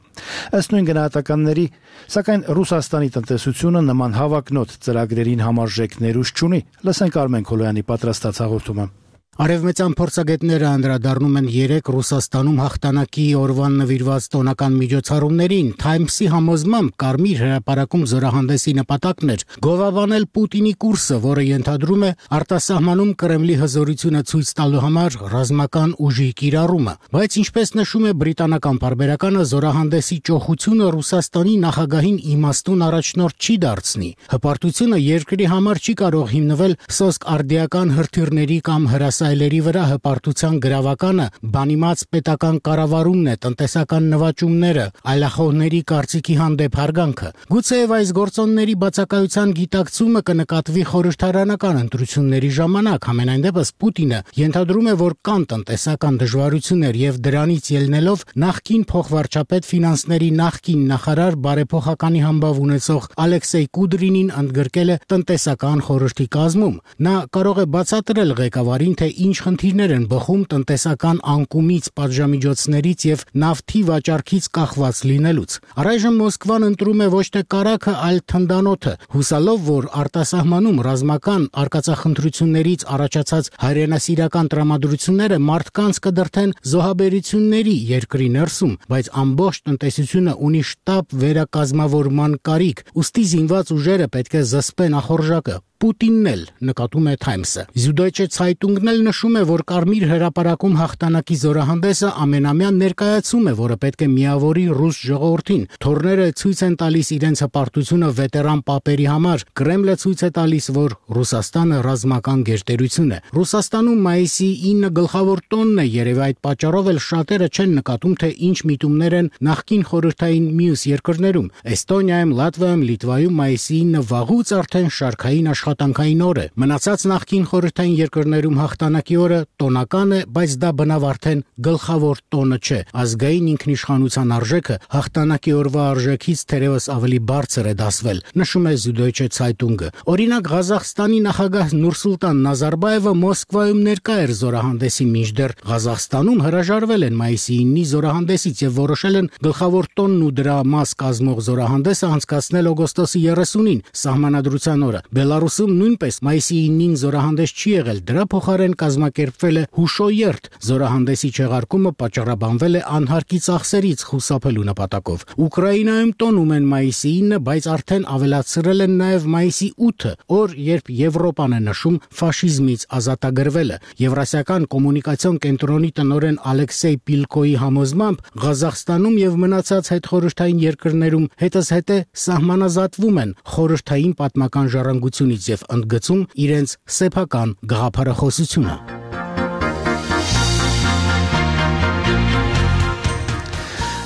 Ըստ նույն գնահատականների, սակայն Ռուսաստանի տնտեսությունը նման հավակնոտ ծրագրերին համարժեք ներուժ չունի։ Լսենք Արմեն Քոլոյանի պատրաստած հաղորդումը։ Արևմտյան փորձագետները անդրադառնում են 3 Ռուսաստանում հաղթանակի օրվան նվիրված տոնական միջոցառումներին։ Times-ի համոզմամբ Կարմիր հրապարակում զորահանդեսի նպատակն էր գովաբանել Պուտինի կուրսը, որը ենթադրում է արտասահմանում Կրեմլի հզորությունը ցույց տալու համար ռազմական ուժի կիրառումը։ Բայց ինչպես նշում է բրիտանական պարբերականը, զորահանդեսի ճոխությունը Ռուսաստանի նախագահին իմաստուն առաջնորդ չի դարձնի։ Հպարտությունը երկրի համար չի կարող հիմնվել սոսկ արդիական հրթիռների կամ հրասայլերի վրա, հպարտության գրավականը բանիմաց պետական կառավարումն է, տնտեսական նվաճումները, այլախոհների կարծիքի հանդեպ հարգանքը։ Գուցեև այս գործոնների բացակայության գիտակցումը կնկատվի խորհրդարանական ընտրությունների ժամանակ, համենայն դեպս Պուտինը ենթադրում է, որ կան տնտեսական դժվարություններ եւ դրանից ելնելով նախկին փոխվարչապետ ֆինանսների նախկին նախարար բարեփոխականի համբավ ունեցող Ալեքսեյ Կուդրինին ընդգրկել է տնտեսական խորհրդի կազմում։ Նա կարող է բացատրել ղեկավարին, թե ինչ խնդիրներ են բխում տնտեսական անկումից, պատժամիջոցներից եւ նավթի վաճառքից կախված լինելուց։ Առայժմ Մոսկվան ընտրում է ոչ թե կարագը, այլ թնդանոթը, հուսալով, որ արտասահմանում ռազմական արկածախնդրություններից առաջացած հայրենասիրական տրամադրությունները մարդկանց կդրթեն զոհաբերությունների երկրի ներսում, բայց ամբողջ տնտեսությունը ունի շտապ վերակազմավորման կարիք, ուստի զինված ուժերը պետք է զսպեն ախորժակը։ Պուտինն էլ, նկատում է Times-ը։ Süddeutsche Zeitung-ն էլ նշում է, որ Կարմիր հրապարակում հաղթանակի զորահանդեսը ամենամյա ներկայացում է, որը պետք է միավորի ռուս ժողովրդին։ Թորները ցույց են տալիս իրենց հպարտությունը վետերան պապերի համար։ Կրեմլը ցույց է տալիս, որ Ռուսաստանը ռազմական գերտերություն է։ Ռուսաստանում մայիսի 9 գլխավոր տոնն է, երևի այդ պատճառով էլ շատերը չեն նկատում, թե ինչ միտումներ են նախկին խորհրդային մյուս երկրներում։ Էստոնիայում, Լատվիայում, Լիտվայում մայիսի 9 վաղուց արդեն շարքային աշխատանքային օր է։ Մնացած նախկին խորհրդային երկրներում հաղթանակի օրը տոնական է, բայց դա բնավ արդեն գլխավոր տոնը չէ։ Ազգային ինքնիշխանության արժեքը հաղթանակի օրվա արժեքից թերևս ավելի բարձր է դասվել, նշում է Süddeutsche Zeitung-ը։ Օրինակ Ղազախստանի նախագահ Նուրսուլտան Նազարբաևը Մոսկվայում ներկա էր զորահանդեսի, մինչդեռ Ղազախստանում հրաժարվել են մայիսի 9-ի զորահանդեսից եւ որոշել են գլխավոր տոնն ու դրա մաս կազմող զորահանդեսը անցկացնել օգոստոսի 30-ին, սահմանադրության օրը։ Բելարուսում նույնպես մայիսի 9-ին զորահանդես չի եղել, դրա փոխարեն կազմակերպվել է հուշոերթ։ Զորահանդեսի չեղարկումը պատճառաբանվել է անհարկի ծախսերից խուսափելու նպատակով։ Ուկրաինայում տոնում են մայիսի 9-ը, բայց արդեն ավելացրել են նաև մայիսի 8-ը, օր, երբ Եվրոպան է նշում ֆաշիզմից ազատագրվելը։ Եվրասիական կոմունիկացիոն կենտրոնի տնօրեն Ալեքսեյ Պիլկոյի համոզմամբ Ղազախստանում եւ մնացած հետխորհրդային երկրներում հետզհետե սահմանազատվում են խորհրդային պատմական ժառանգությունից եւ ընդգծում իրենց սեփական գաղափարախոսությունը։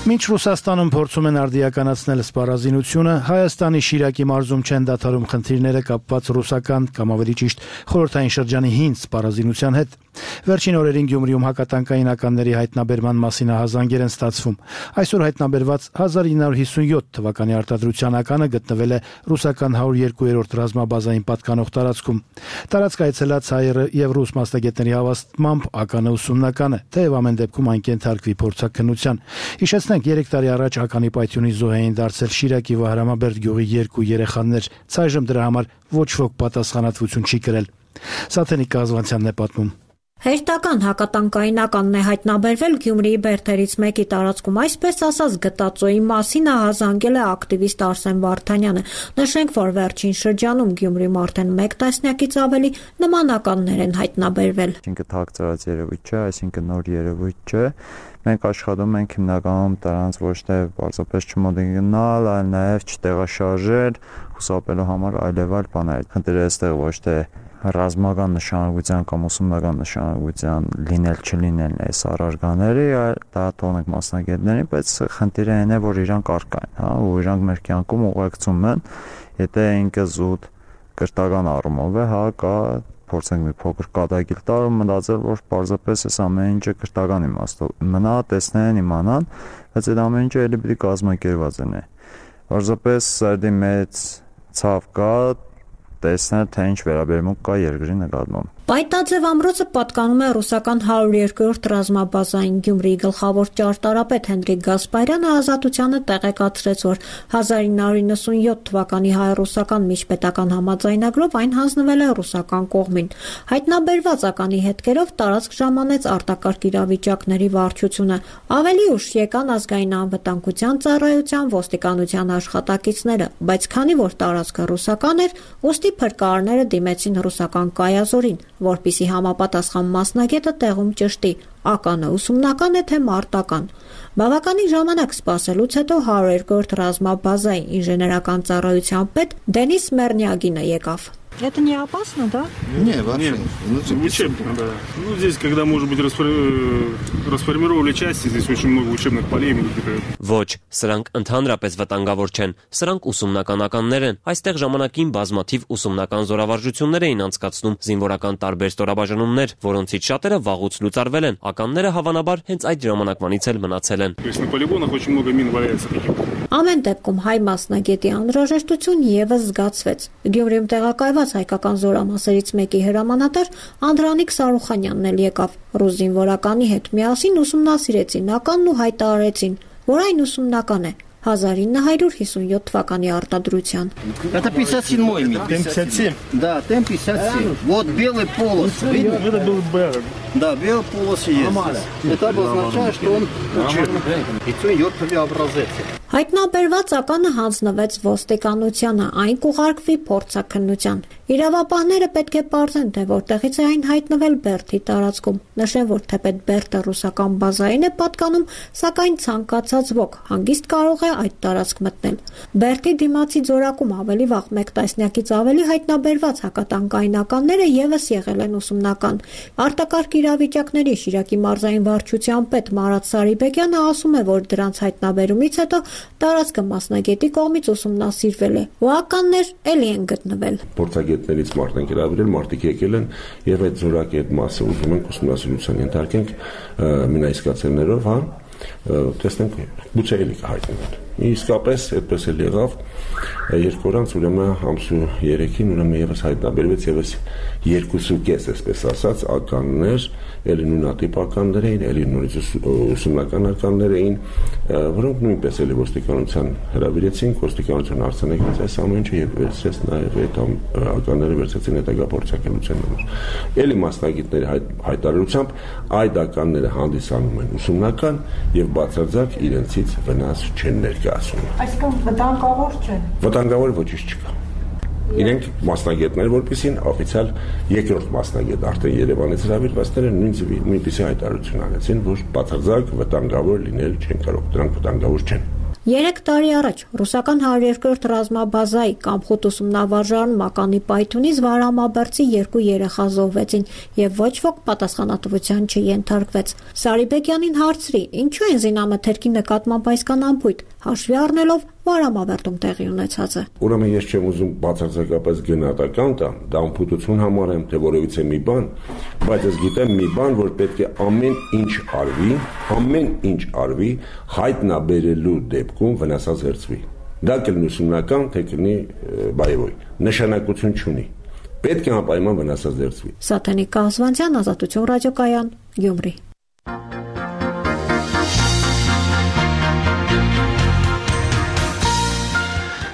Մինչ Ռուսաստանում փորձում են արդիականացնել սպառազինությունը, Հայաստանի Շիրակի մարզում չեն դադարում խնդիրները կապված ռուսական կամ ավելի ճիշտ խորհրդային շրջանի հին սպառազինության հետ։ Վերջին օրերին Գյումրիում հակատանկային ականների հայտնաբերման մասին ահազանգեր են ստացվում։ Այսօր հայտնաբերված 1957 թվականի արտադրության ականը գտնվել է ռուսական 102-րդ ռազմաբազային պատկանող տարածքում։ Տարածք այցելած հայ եւ ռուս մասնագետների հավաստմամբ ականը ուսումնական է, թեև ամեն դեպքում այն կենթարկվի փորձաքննության։ Հիշեցնենք, 3 տարի առաջ ականի պայթյունի զոհ էին դարձել Շիրակի Վահրամաբերդ գյուղի 2 երեխաներ։ Ցայժմ դրա համար ոչ ոք պատասխանատվություն չի կրել։ Սաթենիկ Կազվանցյանն է պատմում։ Հերթական հակատանկային ականն է հայտնաբերվել Գյումրիի բերդերից մեկի տարածքում, այսպես ասած գտածոյի մասին ահազանգել է ակտիվիստ Արսեն Վարդանյանը։ Նշենք, որ վերջին շրջանում Գյումրիում արդեն 1 տասնյակից ավելի նման ականներ են հայտնաբերվել։ Այսինքն թաքցրած երևույթ չէ, այսինքն նոր երևույթ չէ։ Մենք աշխատում ենք հիմնականում դրանց ոչ թե պարզապես չմոդելնալ, այլ նաև չտեղաշարժել, խուսափելու համար այլևայլ բաներ։ Խնդիրը այստեղ ոչ թե ռազմական նշանակության կամ ուսումնական նշանակության լինել չլինելն է առարկաների, այլ դա տոնենք մասնագետներին, բայց խնդիրը այն է, որ իրանք առկա են, հա, ու իրանք մեր կյանքում ուղեկցում են, եթե ինքը զուտ կրթական առումով է, հա, կա փորձենք մի փոքր կատակիլ տալ ու մտածել, որ պարզապես այս ամեն ինչը կրթական իմաստով մնա, տեսնեն, իմանան, բայց այդ ամեն ինչը էլի պիտի կազմակերպված լինի։ Պարզապես սարդի մեծ ցավ կա, տեսնել, թե ինչ վերաբերմունք կա երկրի նկատմամբ։ Պայտաձև ամրոցը պատկանում է ռուսական 102-րդ ռազմաբազային Գյումրիի գլխավոր ճարտարապետ Հենրիկ Գասպարյանը Ազատությանը տեղեկացրեց, որ 1997 թվականի հայ-ռուսական միջպետական համաձայնագրով այն հանձնվել է ռուսական կողմին։ Հայտնաբերված ականի հետքերով տարածք ժամանեց արտակարգ իրավիճակների վարչությունը։ Ավելի ուշ եկան ազգային անվտանգության ծառայության, ոստիկանության աշխատակիցները, բայց քանի որ տարածքը ռուսական էր, ուստի փրկարարները դիմեցին ռուսական կայազորին, որպիսի համապատասխան մասնագետը տեղում ճշտի ականը ուսումնական է թե մարտական։ Բավականին ժամանակ սպասելուց հետո 102-րդ ռազմաբազայի ինժեներական ծառայության պետ Դենիս Մերնյագինը եկավ։ Это не опасно, да? Не, вообще. Учебно, да. Ну, здесь, когда, может быть, расформировали части, здесь очень много учебных полей. Ոչ, սրանք ընդհանրապես վտանգավոր չեն, սրանք ուսումնական ականներ են։ Այստեղ ժամանակին բազմաթիվ ուսումնական զորավարժություններ էին անցկացնում, զինվորական տարբեր ստորաբաժանումներ, որոնցից շատերը վաղուց լուծարվել են։ Ականները հավանաբար հենց այդ ժամանակվանից էլ մնացել են։ То есть на полигонах очень много мин валяется таких. Ամեն դեպքում հայ մասնագետի անհրաժեշտություն եւս զգացվեց։ Գյումրիում տեղակայված հայկական զորամասերից մեկի հրամանատար Անդրանիկ Սարուխանյանն էլ եկավ։ Ռուս զինվորականի հետ միասին ուսումնասիրեցին ականն ու հայտարարեցին, որ այն ուսումնական է 1957 թվականի արտադրության։ Это 57-й мин. Т-57? Да, Т-57. Вот белый полос. Видно? Это был БР. Да, белый полос есть. Это обозначает, что он учебный. И все идет образец. Հայտնաբերված ականը հանձնվեց ոստիկանությանը, այն կուղարկվի փորձաքննության։ Իրավապահները պետք է պարզեն, թե որտեղից է այն հայտնվել Բերդի տարածքում։ Նշեն, որ թեպետ Բերդը ռուսական բազային է պատկանում, սակայն ցանկացած ոք հանգիստ կարող է այդ տարածք մտնել։ Բերդի դիմացի ձորակում ավելի վաղ 1 տասնյակից ավելի հայտնաբերված հակատանկային ականները եւս եղել են ուսումնական։ Արտակարգ իրավիճակների Շիրակի մարզային վարչության պետ Մարատ Սարիբեկյանը ասում է, որ դրանց հայտնաբերումից հետո տարածքը մասնագետի կողմից ուսումնասիրվել է, ու ականներ էլի են գտնվել։ Փորձագետներից մարդ են գրավել, մարդիկ եկել են եւ այդ զորակի այդ մասը ուզում ենք ուսումնասիրության ենթարկենք մինայսկացելներով, հա, տեսնենք գուցե էլի կհայտնվեն։ Իսկապես այդպես էլ եղավ 2 օր անց ուրեմն ամսու 3-ին ուրեմն եւս հայտնաբերվեց եւս 2.5, այսպես ասած, ականներ, էլի նույնատիպ ականներ էին, էլի նորից ուսումնական ականներ էին, որոնք նույնպես էլի ոստիկանության հրավիրեցին, ոստիկանությունը արձանագրեց այս ամեն ինչը եւ վերցրեց նաեւ այդ ականները վերցրեցին հետագա փորձաքննության համար։ Էլի մասնագետների հայտարարությամբ այդ ականները հանդիսանում են ուսումնական եւ բացարձակ իրենցից վնաս չեն ներկայացնում։ Այսինքն վտանգավոր չեն։ Վտանգավոր ոչինչ չկա։ Իրենք մասնագետներ, որպեսին օֆիցիալ երկրորդ մասնագետ արդեն Երևանից հրավիրվածները նույնպիսի հայտարարություն արեցին, որ բացարձակ վտանգավոր լինել չեն կարող, դրանք վտանգավոր չեն։ 3 տարի առաջ ռուսական 102-րդ ռազմաբազայի Կամխոտ ուսումնավարժարանում ականի պայթյունից Վարամաբերդի 2 երեխա զոհվեցին եւ ոչ ոք պատասխանատվության չենթարկվեց։ Սարիբեկյանին հարցրի, ինչու են զինամթերքի նկատմամբ այսքան անփույթ, հաշվի առնելով, Մարամավերտում տեղի ունեցածը։ Ուրեմն ես չեմ ուզում բացարձակապես գնահատական տամ, դա անփութություն համարեմ, թե որևիցե մի բան, բայց ես գիտեմ մի բան, որ պետք է ամեն ինչ արվի հայտնաբերելու դեպքում վնասազերծվի։ Դա կլինի ուսումնական, թե կլինի բայևոյ, նշանակություն չունի։ Պետք է անպայման վնասազերծվի։ Սաթենիկ Կազվանցյան, Ազատություն ռադիոկայան, Գյումրի։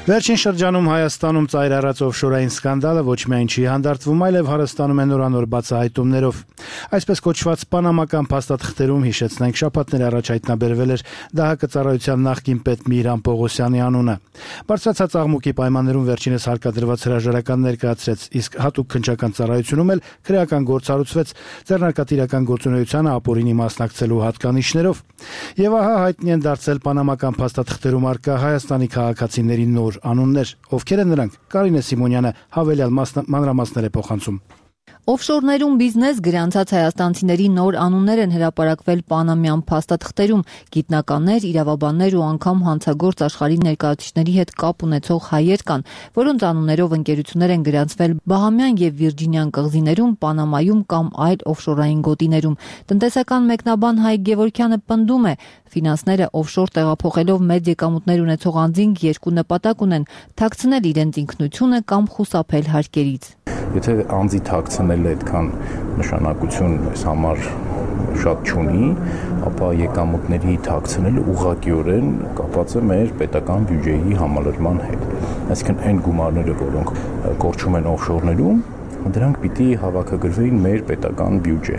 Վերջին շրջանում Հայաստանում ծայր առած օֆշորային սկանդալը ոչ միայն չի հանդարտվում, այլև հարստանում է նորանոր բացահայտումներով։ Այսպես կոչված պանամական փաստաթղթերում հիշեցնենք շաբաթներ առաջ հայտնաբերվել էր ԴՀԿ ծառայության նախկին պետ Միհրան Պողոսյանի անունը։ Բարձրացած աղմուկի պայմաններում վերջինս հարկադրված հրաժարական ներկայացրեց, իսկ հատուկ քննչական ծառայությունում էլ քրեական գործառուցվեց ձեռնարկատիրական գործունեությանը ապօրինի մասնակցելու հատկանիշներով։ Եվ ահա հայտնի են դարձել պանամական փաստաթղթերում առկա Հայաստանի քաղաքացիների նոր անուններ, ովքեր են նրանք։ Կարինե Սիմոնյանը հավելյալ մանրամասներ է փոխանցում։ Օֆշորներում բիզնես գրանցած հայաստանցիների նոր անուններ են հրապարակվել պանամյան փաստաթղթերում։ Գիտնականներ, իրավաբաններ ու անգամ հանցագործ աշխարհի ներկայացուցիչների հետ կապ ունեցող հայեր կան, որոնց անուններով ընկերություններ են գրանցվել Բահամյան եւ Վիրջինյան կղզիներում, Պանամայում կամ այլ օֆշորային գոտիներում։ Տնտեսական մեկնաբան Հայկ Գևորգյանը պնդում է, ֆինանսները օֆշոր տեղափոխելով մեծ եկամուտներ ունեցող անձինք երկու նպատակ ունեն՝ թաքցնել իրենց ինքնությունը կամ խուսափել հարկերից։ Եթե անձի թաքցնելը այդքան նշանակություն այս համար շատ չունի, ապա եկամուտների թաքցնելը ուղղակիորեն կապված է մեր պետական բյուջեի համալրման հետ։ Այսինքն այն գումարները, որոնք կորչում են օֆշորներում, դրանք պիտի հավաքագրվեին մեր պետական բյուջե։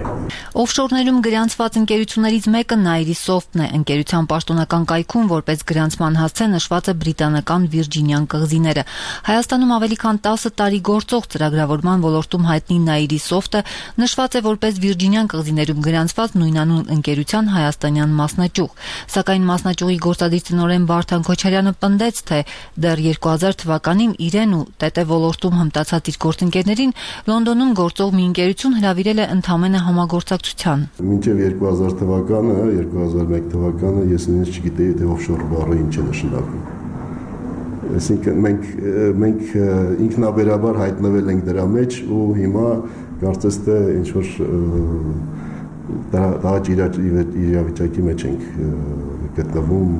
Օֆշորներում գրանցված ընկերություններից մեկը Nairi-Soft-ն է։ Ընկերության պաշտոնական կայքում որպես գրանցման հասցե նշված է բրիտանական Վիրջինյան կղզիները։ Հայաստանում ավելի քան 10 տարի գործող ծրագրավորման ոլորտում հայտնի Nairi-Soft-ը նշված է որպես Վիրջինյան կղզիներում գրանցված նույնանուն ընկերության հայաստանյան մասնաճյուղ։ Սակայն մասնաճյուղի գործադիր տնօրեն Վարդան Քոչարյանը պնդեց, թե դեռ 2000 թվականին իրեն ու ՏՏ ոլորտում հմտացած իր գործընկերներին Լոնդոնում գործող մի ընկերություն հրավիրել է ընդամենը համագործակցության։ Մինչև 2000 թվականը, 2001 թվականը ես նույնիսկ չգիտեի, թե օֆշոր բառը ինչ է նշանակում։ Այսինքն մենք ինքնաբերաբար հայտնվել ենք դրա մեջ ու հիմա կարծես թե ինչ որ դահաճ իրավիճակի մեջ ենք գտնվում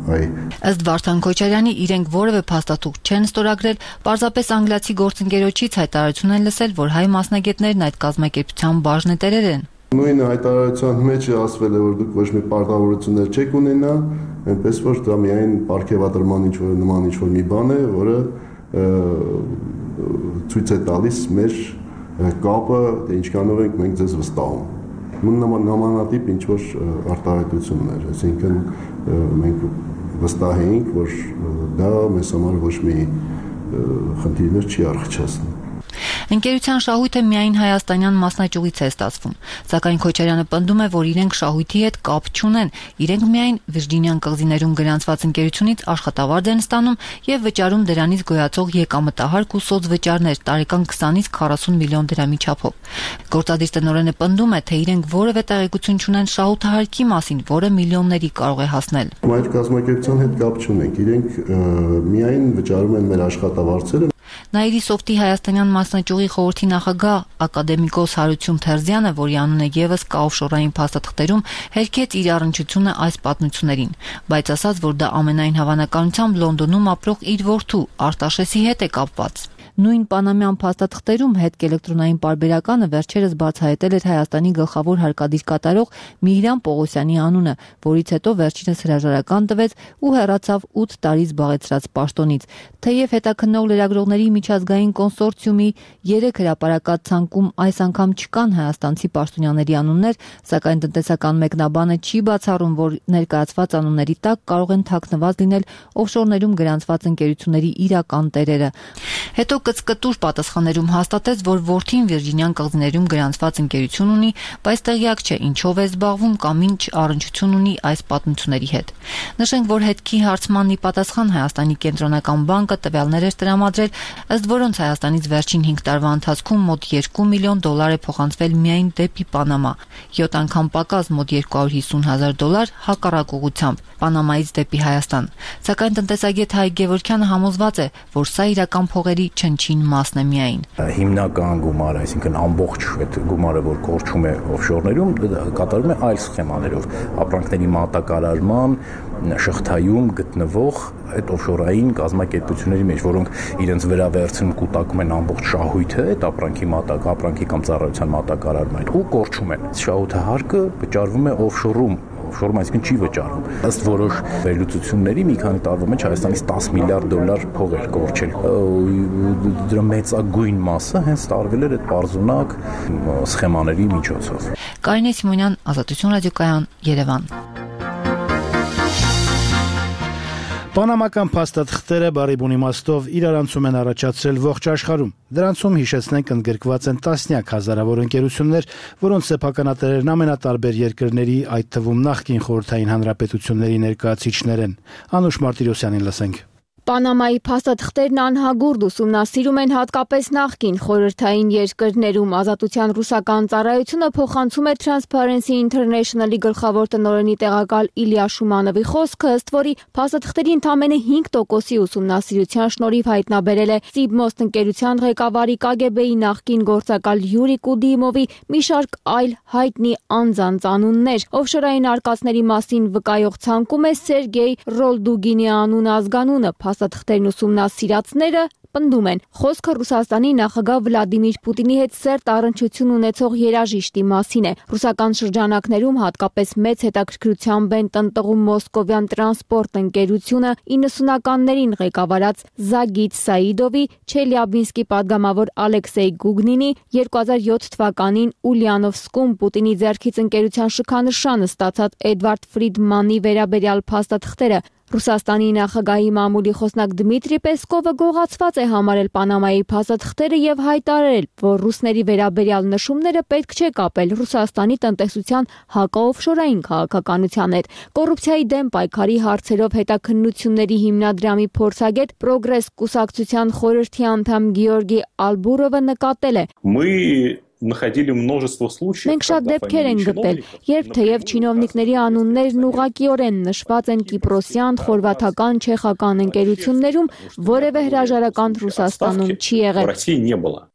Ըստ Վարդան Քոչարյանի իրենք որևէ փաստաթուղթ չեն ստորագրել, պարզապես անգլիացի գործընկերոջից հայտարարություն են լսել, որ հայ մասնագետներն այդ կազմակերպության բաժնետերեր են։ Նույն հայտարարության մեջ ասվել է, որ դուք ոչ մի պարտավորություններ չեք ունենա, այնպես որ դա միայն պարգևատրման նման ինչ-որ մի բան է, որը ցույց է տալիս մեր կապը, թե ինչքանով ենք մենք ձեզ վստահում։ Նմանատիպ ինչ-որ արտահայտություններ, այսինքն մենք վստահ էինք, որ դա մեզ համար ոչ մի խնդիրներ չի առնչացնում։ Ընկերության շահույթը միայն հայաստանյան մասնաճյուղից է ստացվում, սակայն Քոչարյանը պնդում է, որ իրենք շահույթի հետ կապ չունեն, իրենք միայն Վիրջինյան կղզիներում գրանցված ընկերությունից աշխատավարձ են ստանում եւ վճարում դրանից գոյացող եկամտահարկ ու սոցվճարներ տարեկան 20-ից 40 միլիոն դրամի չափով։ Գործադիր տնօրենը պնդում է, թե իրենք որևէ տեղեկություն չունեն շահութահարկի մասին, որը միլիոնների կարող է հասնել։ Այդ կազմակերպության հետ կապ չունենք, իրենք միայն վճարում են մեր աշխատավարձերը։ Nairi-Soft-ի հայաստանյան մասնաճյուղի խորհրդի նախագահ ակադեմիկոս Հարություն Թերզյանը, որի անունը եւս կա օֆշորային փաստաթղթերում, հերքեց իր առնչությունը այս պատմություններին, բայց ասաց, որ դա ամենայն հավանականությամբ Լոնդոնում ապրող իր որդու Արտաշեսի հետ է կապված։ Նույն պանամյան փաստաթղթերում հետք էլեկտրոնային պարբերականը վերջերս բացահայտել էր Հայաստանի գլխավոր հարկադիր կատարող Միհրան Պողոսյանի անունը, որից հետո վերջինս հրաժարական տվեց ու հեռացավ 8 տարի զբաղեցրած պաշտոնից։ Թեև հետաքննող լրագրողների միջազգային կոնսորցիումի 3 հրապարակած ցանկում այս անգամ չկան հայաստանցի պաշտոնյաների անուններ, սակայն տնտեսական մեկնաբանը չի բացառում, որ ներկայացված անունների տակ կարող են թաքնված լինել օֆշորներում գրանցված ընկերությունների իրական տերերը։ Հետո կծկտուր պատասխաններում հաստատեց, որ որդին Վիրջինյան կղզիներում գրանցված ընկերություն ունի, բայց տեղյակ չէ ինչով է զբաղվում կամ ինչ առնչություն ունի այս պատմությունների հետ։ Նշենք, որ հետքի հարցմանն ի պատասխան Հայաստանի կենտրոնական բանկը տվյալներ էր տրամադրել, ըստ որոնց Հայաստանից վերջին 5 տարվա ընթացքում մոտ $2 միլիոն է փոխանցվել միայն դեպի Պանամա, 7 անգամ պակաս մոտ $250,000 հակառակ ուղղությամբ Պանամայից դեպի Հայաստան։ Սակայն տնտեսագետ Հայկ Գևորգյանը համոզված է, որ սա իրական փողերի չնչին մասն է միայն։ Հիմնական գումարը, այսինքն ամբողջ այդ գումարը, որ կորչում է օֆշորներում, կատարվում է այլ սխեմաներով, ապրանքների մատակարարման շղթայում գտնվող այդ օֆշորային կազմակերպությունների մեջ, որոնք իրենց վրա վերցնում կուտակում են ամբողջ շահույթը, այդ ապրանքի կամ ծառայության մատակարարման ու կորչում են։ Շահութահարկը վճարվում է օֆշորում, այսինքն չի վճարվում։ Ըստ որոշ վերլուծությունների մի քանի տարվա մեջ Հայաստանից $10 միլիարդ փող էր կորչել։ Դրա մեծագույն մասը հենց տարվել էր այդ պարզունակ սխեմաների միջոցով։ Կարինե Սիմոնյան, Ազատություն ռադիոկայան, Երևան։ Պանամական փաստաթղթերը բարի բուն իմաստով իրարանցում են առաջացրել ողջ աշխարհում։ Դրանցում հիշեցնենք ընդգրկված են տասնյակ հազարավոր ընկերություններ, որոնց սեփականատերերն ամենատարբեր երկրների, այդ թվում նախկին խորհրդային հանրապետությունների ներկայացուցիչներ են։ Անուշ Մարտիրոսյանին լսենք։ Պանամայի փաստաթղթերն անհագուրդ ուսումնասիրում են հատկապես նախկին խորհրդային երկրներում։ Ազատության ռուսական ծառայությունը փոխանցում է Transparency International-ի գլխավոր տնօրենի տեղակալ Իլյա Շումանովի խոսքը, ըստ որի փաստաթղթերի ընդամենը 5%-ի ուսումնասիրության շնորհիվ հայտնաբերել է Սիբմոստ ընկերության ղեկավարի KGB-ի նախկին գործակալ Յուրի Կուդիմովի մի շարք այլ հայտնի անձանց անուններ։ Օֆշորային արկածների մասին վկայող ցանկում է Սերգեյ Ռոլդուգինի անուն ազգանունը։ Փաստաթղթերն ուսումնասիրածները պնդում են, խոսքը Ռուսաստանի նախագահ Վլադիմիր Պուտինի հետ սերտ առնչություն ունեցող երաժիշտի մասին է։ Ռուսական շրջանակներում հատկապես մեծ հետաքրքրությամբ են տնտղում Մոսկովյան տրանսպորտ ընկերությունը 90-ականներին ղեկավարած Զագիթ Սաիդովի, Չելյաբինսկի падգամավոր Ալեքսեյ Գուգնինի, 2007 թվականին Ուլյանովսկում Պուտինի ձեռքից ընկերության շքանշանը ստացած Էդվարդ Ֆրիդմանի վերաբերյալ փաստաթղթերը։ Ռուսաստանի նախագահի մամուլի խոսնակ Դմիտրի Պեսկովը գողացված է համարել Պանամայի փաստաթղթերը եւ հայտարարել, որ ռուսների վերաբերյալ նշումները պետք չէ կապել Ռուսաստանի տնտեսության հակաօֆշորային քաղաքականության հետ։ Կոռուպցիայի դեմ պայքարի հարցերով հետաքննությունների հիմնադրամի փորձագետ Պրոգրես կուսակցության խորհրդի անդամ Գեորգի Ալբուրովը նկատել է. Մենք շատ դեպքեր ենք գտել, երբ թեև չինովնիկների անուններն ուղղակիորեն նշված են կիպրոսյան, խորվաթական, չեխական ընկերություններում, որևէ հրաժարական Ռուսաստանում չի եղել։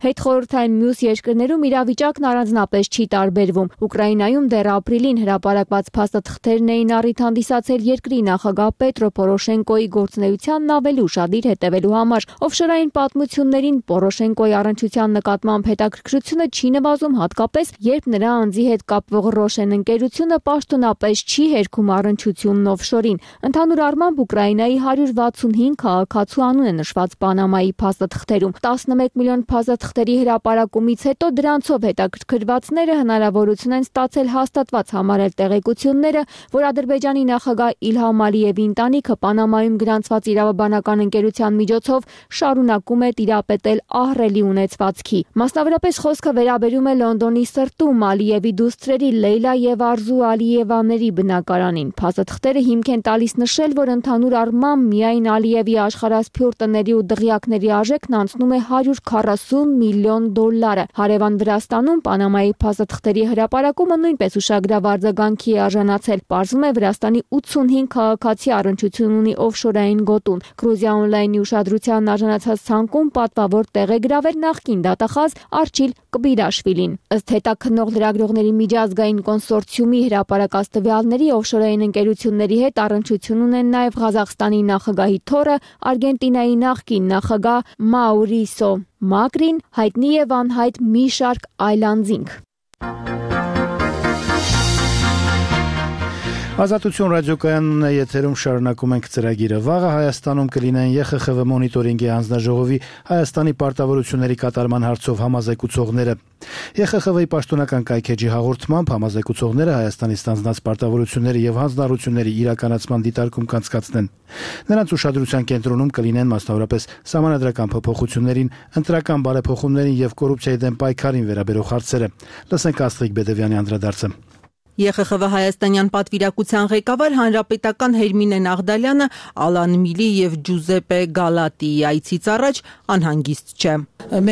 Հետխորհրդային մյուս երկրներում իրավիճակն առանձնապես չի տարբերվում։ Ուկրաինայում դեռ ապրիլին հրապարակված փաստաթղթերն էին առիթ հանդիսացել երկրի նախագահ Պետրո Պորոշենկոյի գործունեությանն ավելի ուշադիր հետևելու համար։ Օֆշորային պատմություններին Պորոշենկոյի առնչության նկատմամբ հետաքրքրությունը չի նվազում, հատկապես երբ նրա անձի հետ կապվող Ռոշեն ընկերությունը պաշտոնապես չի հերքում առնչությունն օֆշորին։ Ընդհանուր առմամբ Ուկրաինայի 165 քաղաքացու անուն է նշված Պանամայի փաստաթղթերում։ 11 միլիոն փաստաթղթերի հրապարակումից հետո դրանցով հետաքրքրվածները հնարավորություն են ստացել հաստատված համարել տեղեկությունները, որ Ադրբեջանի նախագահ Իլհամ Ալիևի ընտանիքը Պանամայում գրանցված իրավաբանական ընկերության միջոցով շարունակում է տիրապետել ահռելի ունեցվածքի։ Մասնավորապես խոսքը վերաբերում է Լոնդոնի սրտում Ալիևի դուստրերի Լեյլա եւ Արզու Ալիևաների բնակարանին։ Փաստաթղթերը հիմք են տալիս նշել, որ ընդհանուր առմամբ միայն Ալիևի աշխարհասփյուռ տների ու դղյակների արժեքն անցնում է $140 միլիոն։ Հարևան Վրաստանում Պանամայի փաստաթղթերի հրապարակումը նույնպես ուշագրավ արձագանքի է արժանացել։ Պարզվում է Վրաստանի 85 քաղաքացի առնչություն ունի օֆշորային գոտուն։ Գրուզիա օնլայնի ուշադրության արժանացած ցանկում պատվավոր տեղ է գրավել նախկին դատախազ Արչիլ Կբիրաշվիլին։ Ըստ հետաքննող լրագրողների միջազգային կոնսորցիումի հրապարակած տվյալների օֆշորային ընկերությունների հետ առնչություն ունեն նաև Ղազախստանի նախագահի թոռը, Արգենտինայի նախկին նախագահ Մաուրիսո Մակրին, հայտնի եւ անհայտ մի շարք այլ անձինք։ Ազատություն ռադիոկայանն է եթերում, շարունակում ենք ծրագիրը։ Վաղը Հայաստանում կլինեն ԵԽԽՎ մոնիտորինգի հանձնաժողովի Հայաստանի պարտավորությունների կատարման հարցով համազեկուցողները։ ԵԽԽՎ-ի պաշտոնական կայքեջի հաղորդմամբ համազեկուցողները Հայաստանի ստանձնած պարտավորությունների եւ հանձնառությունների իրականացման դիտարկում կանցկացնեն։ Նրանց ուշադրության կենտրոնում կլինեն մասնավորապես սահմանադրական փոփոխություններին, ընտրական բարեփոխումներին եւ կոռուպցիայի դեմ պայքարին վերաբերող հարցերը։ Լսենք Աստղիկ Բեդևյանի անդրադարձը։ ԵԽԽՎ հայաստանյան պատվիրակության ղեկավար հանրապետական Հերմինե Նաղդալյանը Ալան Միլի եւ Ջուզեպե Գալատիի այցից առաջ անհանգիստ չէ։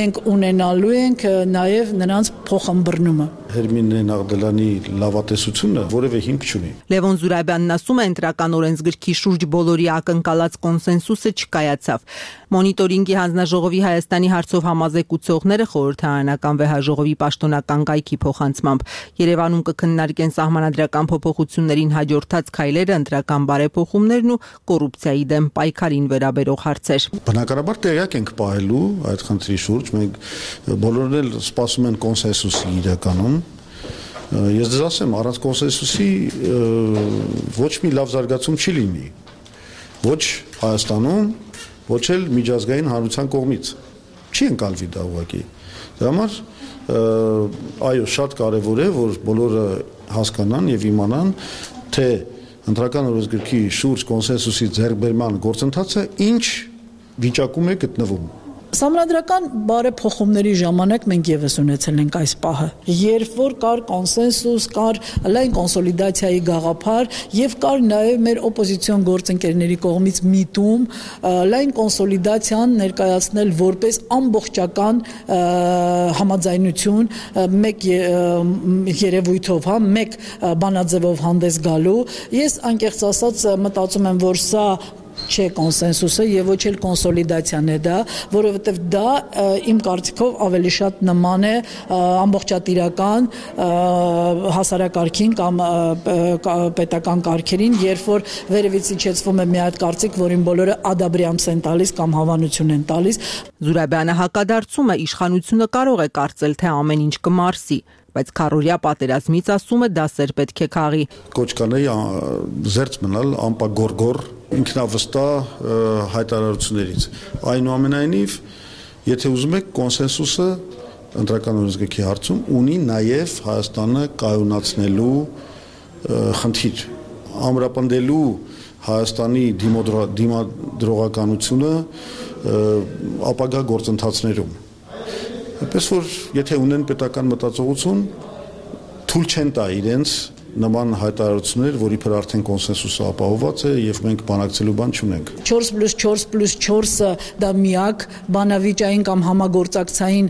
Մենք ունենալու ենք նաեւ նրանց փոխըմբռնումը։ Հերմինե Նաղդալյանի լավատեսությունը որևէ հիմք չունի։ Լևոն Զուրաբյանն ասում է, ընտրական օրենսգրքի շուրջ բոլորի ակնկալած կոնսենսուսը չկայացավ։ Մոնիտորինգի հանձնաժողովի Հայաստանի հարցով համազեկուցողները խորհրդարանական վեհաժողովի պաշտոնական կայքի փոխանցմամբ Երևանում կքննարկեն սահմանադրական փոփոխություններին հաջորդած քայլերը, ընտրական բարեփոխումներն ու կոռուպցիայի դեմ պայքարին վերաբերող հարցեր։ Բնականաբար տեղյակ ենք պահելու այդ խնդրի շուրջ, մենք բոլորն էլ սպասում են կոնսենսուսի իրականում։ Ես ձեզ ասեմ, առանց կոնսենսուսի ոչ մի լավ զարգացում չի լինի։ Ոչ Հայաստանում, ոչ էլ միջազգային հանրության կողմից։ Չի ընկալվի դա ուղղակի։ Դրա համար այո, շատ կարևոր է, որ բոլորը հասկանան եւ իմանան, թե ընտրական օրենսգրքի շուրջ կոնսենսուսի ձեռքբերման գործընթացը ինչ վիճակում է գտնվում։ Սահմանադրական բարեփոխումների ժամանակ մենք եւս ունեցել ենք այս պահը, երբ որ կար կոնսենսուս, կար լայն կոնսոլիդացիայի գաղափար եւ կար նաեւ մեր օպոզիցիոն գործընկերների կողմից միտում լայն կոնսոլիդացիան ներկայացնել որպես ամբողջական համաձայնություն մեկ երևույթով, մեկ բանաձևով հանդես գալու։ Ես անկեղծ ասած մտածում եմ, որ սա չէ կոնսենսուսը եւ ոչ էլ կոնսոլիդացիան է դա, որովհետեւ դա իմ կարծիքով ավելի շատ նման է ամբողջատիրական հասարակարգին կամ պետական կարգերին, երբ որ վերևից իջեցվում է մի հատ կարծիք, որին բոլորը ադաբրիամս են տալիս կամ հավանություն են տալիս։ Զուրաբյանը հակադարձում է, իշխանությունը կարող է կարծել, թե ամեն ինչ կմարսի, բայց քառօրյա պատերազմից ասում է դասեր պետք է քաղի։ Կոչ կանեի զերծ մնալ անպագորգոր ինքնավստահ հայտարարություններից։ Այնուամենայնիվ, եթե ուզում եք կոնսենսուսը ընտրական օրենսգրքի հարցում ունի նաև Հայաստանը կայունացնելու խնդիր, ամրապնդելու Հայաստանի դիմադրողականությունը ապագա գործընթացներում։ Այնպես որ եթե ունեն պետական մտածողություն, թույլ չեն տա իրենց նման հայտարարություններ, որի վրա արդեն կոնսենսուսը ապահովված է եւ մենք բանակցելու բան չունենք։ 4+4+4-ը դա միակ բանավիճային կամ համագործակցային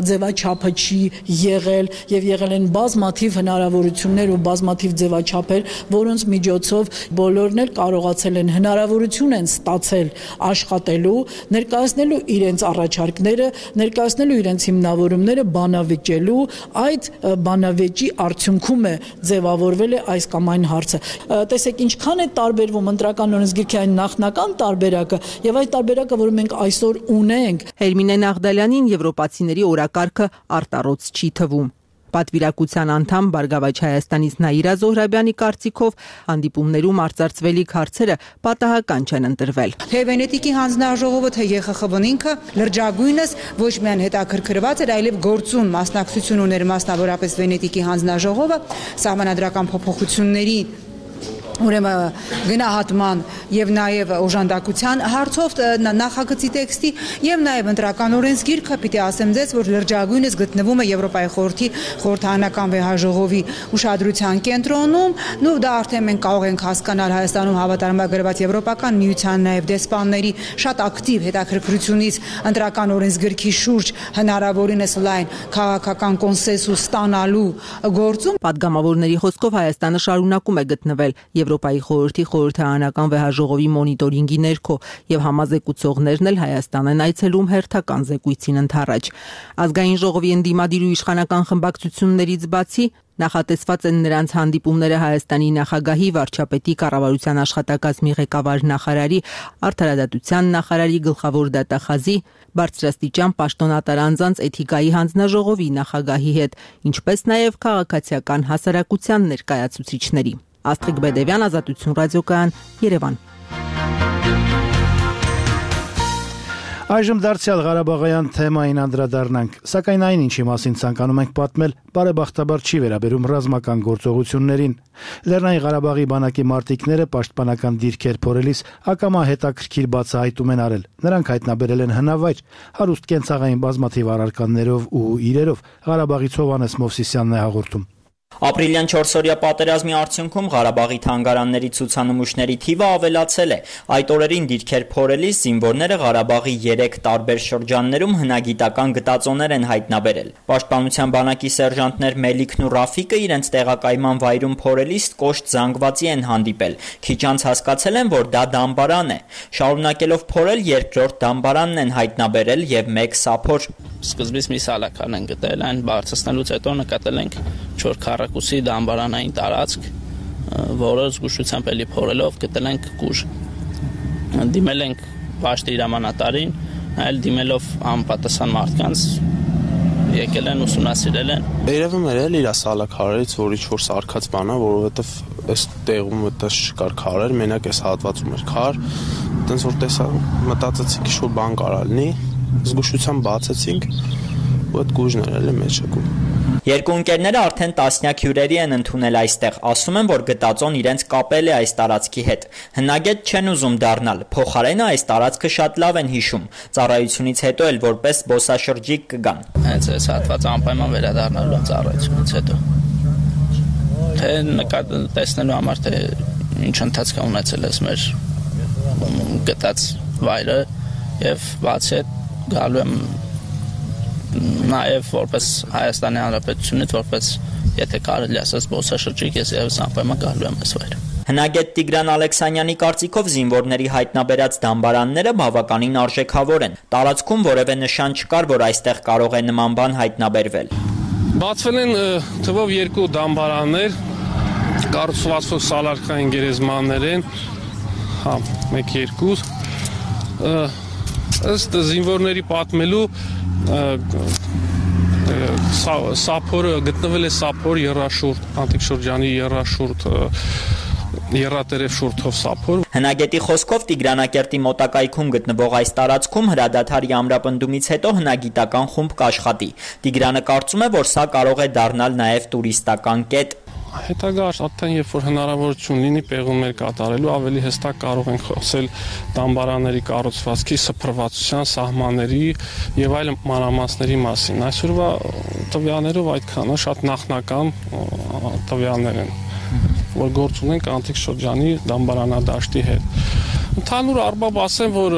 ձևաչափը չի եղել եւ եղել են բազմաթիվ հնարավորություններ ու բազմաթիվ ձևաչափեր, որոնց միջոցով բոլորն էլ կարողացել են հնարավորություն են ստացել աշխատելու, ներկայացնելու իրենց առաջարկները, ներկայացնելու իրենց հիմնավորումները, բանավիճելու, այդ բանավեճի արդյունքում է ձևավորվել է այս կամ այն հարցը։ Տեսեք, ինչքան է տարբերվում ընտրական օրենսգրքի այն նախնական տարբերակը եւ այդ տարբերակը, որը մենք այսօր ունենք։ Հերմինե Նաղդալյանին եվրոպացիների օրակարգը արտառոց չի թվում։ Պատվիրակության անդամ Բարգավաճ Հայաստանից Նաիրա Զոհրաբյանի կարծիքով հանդիպումներում արծարծվելիք հարցերը պատահական չեն ընտրվել։ Թե Վենետիկի հանձնաժողովը, թե ԵԽԽՎ-ն ինքը լրջագույնս ոչ միայն հետաքրքրված էր, այլև գործուն մասնակցություն ուներ, մասնավորապես Վենետիկի հանձնաժողովը սահմանադրական փոփոխությունների ուրեմն գնահատման եւ նաեւ օժանդակության հարցով նախագծի տեքստի եւ նաեւ ընտրական օրենսգիրքը պիտի ասեմ ձեզ, որ լրջագույնս գտնվում է Եվրոպայի խորհրդի խորհրդարանական վեհաժողովի ուշադրության կենտրոնում, ու դա արդեն մենք կարող ենք հասկանալ Հայաստանում հավատարմագրված Եվրոպական միության նաեւ դեսպանների շատ ակտիվ հետաքրքրությունից ընտրական օրենսգիրքի շուրջ հնարավորինս լայն քաղաքական կոնսենսուս ստանալու գործում։ Պատգամավորների խոսքով Հայաստանը շարունակում է գտնվել Եվրոպայի խորհրդի խորհրդարանական վեհաժողովի մոնիտորինգի ներքո եւ համազեկուցողներն էլ Հայաստան են այցելում հերթական զեկույցին ընդառաջ։ Ազգային ժողովի ընդդիմադիր ու իշխանական խմբակցություններից բացի նախատեսված են նրանց հանդիպումները Հայաստանի նախագահի, վարչապետի, կառավարության աշխատակազմի ղեկավար նախարարի, արդարադատության նախարարի, գլխավոր դատախազի, բարձրաստիճան պաշտոնատար անձանց էթիկայի հանձնաժողովի նախագահի հետ, ինչպես նաև քաղաքացիական հասարակության ներկայացուցիչների։ Աստղիկ Բեդևյան, Ազատություն ռադիոկայան, Երևան։ Այժմ դարձյալ Ղարաբաղյան թեմային անդրադառնանք, սակայն այն ինչի մասին ցանկանում ենք պատմել, բարեբախտաբար չի վերաբերում ռազմական գործողություններին։ Լեռնային Ղարաբաղի բանակի մարտիկները պաշտպանական դիրքեր փորելիս ակամա հետաքրքիր բացահայտում են արել։ Նրանք հայտնաբերել են հնավայր, հարուստ կենցաղային բազմաթիվ առարկաներով ու իրերով։ Ղարաբաղից Հովհաննես Մովսիսյանն է հաղորդում։ Ապրիլյան 4-օրյա պատերազմի արդյունքում Ղարաբաղի թանգարանների ցուցանմուշների թիվը ավելացել է։ Այդ օրերին դիրքեր փորելիս զինվորները Ղարաբաղի 3 տարբեր շրջաններում հնագիտական գտածոներ են հայտնաբերել։ Պաշտպանության բանակի սերժանտներ Մելիքն ու Ռաֆիկը իրենց տեղակայման վայրում փորելիս կոշտ զանգվածի են հանդիպել։ Քիչ անց հասկացել են, որ դա դամբարան է։ Շարունակելով փորել երկրորդ դամբարանն են հայտնաբերել եւ 1 սափոր։ Սկզբից մի սալական են գտել, այն բարձրացնելուց հետո նկատել ենք 4 քառակուսի դամբարանային տարածք, որը զգուշությամբ էլի փորելով գտել ենք կուժ։ Դիմել ենք պաշտի հրամանատարին, այլ դիմելով անպատասխան մարդկանց եկել են ուսումնասիրել են։ Երևում էր էլ իր սալաքարերից, որ ինչ-որ սարքած բան է, որովհետև այս տեղում այդպես չկար քարեր, մենակ այս հատվածում էր քար։ Այդպես որ տեսա, մտածեցինք ինչ-որ բան կարա լինի, զգուշությամբ բացեցինք, ու այդ գուժն էր էլի մեջը։ Երկու ընկերները արդեն տասնյակ հյուրերի են ընդունել այստեղ, ասում են, որ գտածոն իրենց կապել է այս տարածքի հետ։ Հնագետ չեն ուզում դառնալ, փոխարենը այս տարածքը շատ լավ են հիշում, ծառայությունից հետո էլ որպես զբոսաշրջիկ կգան։ Հենց այս հատվածը անպայման վերադառնալու ծառայությունից հետո։ Թե տեսնելու համար, թե ինչ ընթացք ունեցել ես մեր գտած վայրը եւ բացի այդ գալու եմ նաև որպես Հայաստանի Հանրապետությունից, որպես եթե կարելի ասած զբոսաշրջիկ, ես եւս անպայման գալու եմ այս վայր։ Հնագետ Տիգրան Ալեքսանյանի կարծիքով զինվորների հայտնաբերած դամբարանները բավականին արժեքավոր են։ Տարածքում որևէ նշան չկար, որ այստեղ կարող է նման բան հայտնաբերվել։ Բացվել են թվով 2 դամբարաններ, կառուցված սալարկային գերեզմաններ են, 1-2 ըստ զինվորների պատմելու սափորը գտնվել է սափոր երաշուրդ, անտիկ շրջանի երաշուրդ, երատերև շուրթով սափոր։ Հնագետի խոսքով Տիգրանակերտի մոտակայքում գտնվող այս տարածքում հրադադարի ամրապնդումից հետո հնագիտական խումբ կաշխատի։ Տիգրանը կարծում է, որ սա կարող է դառնալ նաև տուրիստական կետ։ Հետագա աշխատան, երբ որ հնարավորություն լինի պեղումներ կատարելու, ավելի հստակ կարող ենք խոսել դամբարանների կառուցվածքի, սփռվածության, սահմանների եւ այլ մանրամասների մասին։ Այսօրվա տվյալներով այդքանը շատ նախնական տվյալներ են, որ գործ ունենք անտիկ շրջանի դամբարանադաշտի հետ։ Ընդհանուր առմամբ ասեմ, որ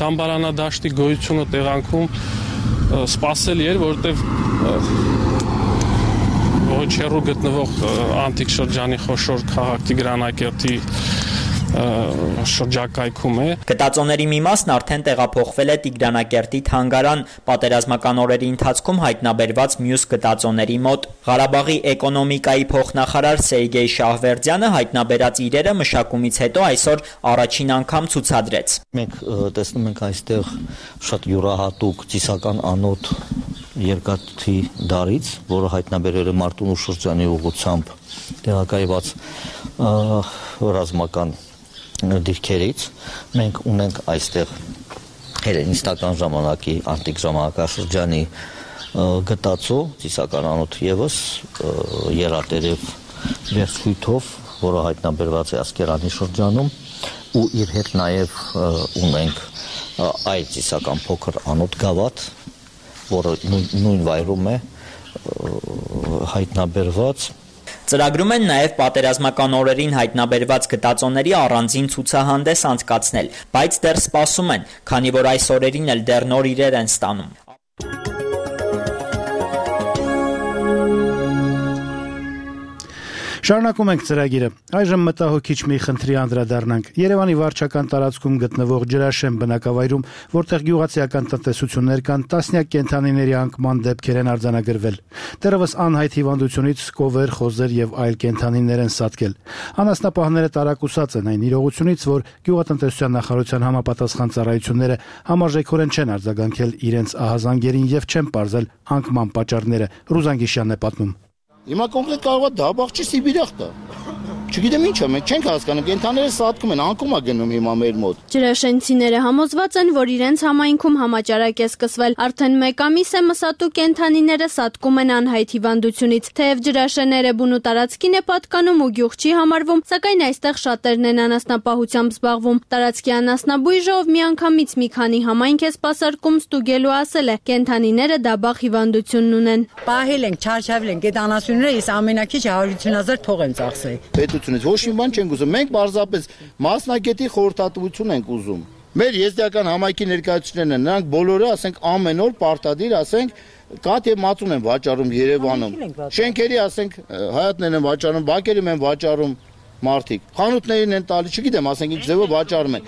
դամբարանադաշտի գոյությունը տեղանքում սպասելի էր, որովհետեւ ոչ հեռու գտնվող անտիկ շրջանի խոշոր քաղաք Տիգրանակերտի շրջակայքում է։ Գտածոների մի մասն արդեն տեղափոխվել է Տիգրանակերտի թանգարան, պատերազմական օրերի ընթացքում հայտնաբերված մյուս գտածոների մոտ։ Ղարաբաղի էկոնոմիկայի փոխնախարար Սերգեյ Շահվերդյանը հայտնաբերած իրերը մշակումից հետո այսօր առաջին անգամ ցուցադրեց։ Մենք տեսնում ենք այստեղ շատ յուրահատուկ ծիսական անոթ երկաթի դարից, որը հայտնաբերել է Մարտունու շրջանի ուղղությամբ տեղակայված ռազմական դիրքերից։ Մենք ունենք այստեղ հելենիստական ժամանակի անտիկ ժամանակաշրջանի գտածո ծիսական անոթ եւս երատերև վերցույթով, որը հայտնաբերված է Ասկերանի շրջանում, ու իր հետ նաեւ ունենք այլ ծիսական փոքր անոթ գավաթ, որը նույն վայրում է հայտնաբերված։ Ծրագրում են նաև պատերազմական օրերին հայտնաբերված գտածոների առանձին ցուցահանդես անցկացնել, բայց դեռ սպասում են, քանի որ այս օրերին էլ դեռ նոր իրեր են ստանում։ Շարունակում ենք ծրագիրը։ Այժմ մտահոգիչ մի խնդրի անդրադառնանք։ Երևանի վարչական տարածքում գտնվող Ջրաշեն բնակավայրում, որտեղ գյուղացիական տնտեսություններ կան, տասնյակ կենդանիների անկման դեպքեր են արձանագրվել։ Դեռևս անհայտ հիվանդությունից կովեր, խոզեր եւ այլ կենդանիներ են սատկել։ Անասնապահները տարակուսած են այն իրողությունից, որ գյուղատնտեսության նախարարության համապատասխան ծառայությունները համարժեքորեն չեն արձագանքել իրենց ահազանգերին եւ չեն պարզել անկման պատճառները։ Ռուզան Գիշյանն է պատմում։ Հիմա կոնկրետ կարող է դաբաղ չի Սիբիրախ տա։ Չգիտեմ ինչ է, մենք չենք հասկանում, կենթաները սատկում են, անկում է գնում հիմա մեր մոտ։ Ջրաշենցիները համոզված են, որ իրենց համայնքում համաճարակ է սկսվել։ Արդեն 1 ամիս է մսատու կենթանիները սատկում են անհայտ հիվանդությունից։ Թեև ջրաշենները բուն ու տարածքին է պատկանում ու գյուղ չի համարվում, սակայն այստեղ շատերն են անասնապահությամբ զբաղվում։ Տարածքի անասնաբույժով միանգամից մի քանի համայնք է սպասարկում ստուգելու ասել է, կենթանիները դաբաղ հիվանդությունն ունեն։ Պահել ենք, չարչավել ենք, այդ անասունները իս ամենակիչը 150,000 թող են ծախսել։ Ոչ մի բան չենք ուզում, մենք պարզապես մասնագետի խորհրդատվություն ենք ուզում։ Մեր եզդիական համայնքի ներկայացուցիչներն են, նրանք բոլորը, ասենք, ամեն օր պարտադիր, ասենք, կաթ եւ մածուն են վաճառում Երևանում։ Շենքերի, ասենք, հայատներն են վաճառում, բակերում են վաճառում մարդիկ։ Խանութներին են տալի, չգիտեմ, ասենք, ինչ ձևով վաճառում են։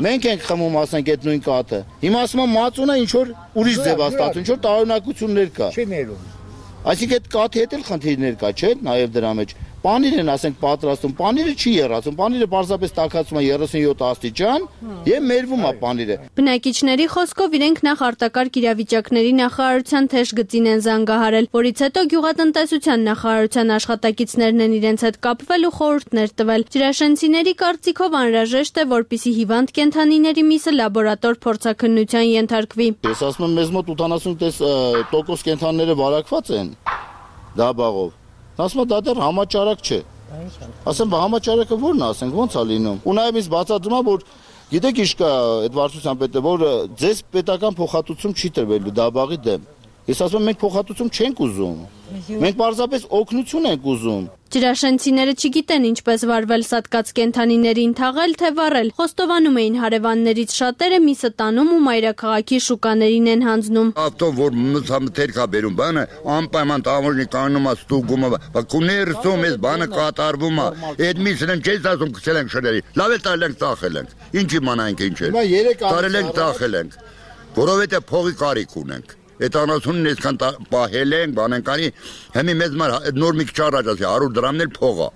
Մենք ենք խմում, ասենք, այդ նույն կաթը։ Հիմա ասում են մածունը ինչ որ ուրիշ ձև է ստացվում, ինչ որ տարօրինակություններ կա։ Այսինքն այդ կաթի հետ էլ խնդիրներ կա, չէ՞, նաեւ դրա մեջ։ Պանիր են, ասենք, պատրաստում, պանիրը չի եռացում, պանիրը պարզապես տաքացում է 37 աստիճան եւ մերվում է պանիրը։ Բնակիչների խոսքով իրենք նախ արտակարգ իրավիճակների նախարարության թեժ գծին են զանգահարել, որից հետո գյուղատնտեսության նախարարության աշխատակիցներն են իրենց հետ կապվել ու խորհուրդներ տվել։ Ջրաշենցիների կարծիքով անհրաժեշտ է, որպիսի հիվանդ կենթանիների միսը լաբորատոր փորձաքննության ենթարկվի։ Ես ասում եմ, մեզ մոտ 80% կենթանիները վարակված են դաբաղով։ Ասում եմ, դա դեռ համաճարակ չէ։ Ասեմ, համաճարակը ո՞րն է, ասենք, ո՞նց է լինում։ Ու նաև ինձ բացատրում է, որ գիտեք ինչ կա այդ վարչության պետը, որ ձեզ պետական փոխհատուցում չի տրվելու դաբաղի դեմ։ Ես ասում եմ, մենք փոխհատուցում չենք ուզում։ Մենք պարզապես օգնություն ենք ուզում։ Ջրաշենցիները չգիտեն ինչպես վարվել սատկած կենթանիներին թաղել թե վառել։ Խոստովանում էին հարևաններից շատերը միսը տանում ու մայրաքաղաքի շուկաներին են հանձնում։ Ավտո որ մթերք է բերում բանը, անպայման տամոժնի կանում է ստուգում է, բայց կուներսում էս բանը կատարվում է։ Այդ միսն են չես ասում գցել ենք շների։ Լավ է տալ ենք ծախել ենք։ Ինչ իմանանք ինչ է։ Տարել ենք ծախել ենք։ Որովհետեւ փողի կարիք ունենք։ Այդ անասունն այսքան պահել ենք, բան ենք անի, հիմի մեզ մար նոր մի քիչ առաջ ասի 100 դրամն էլ փող է։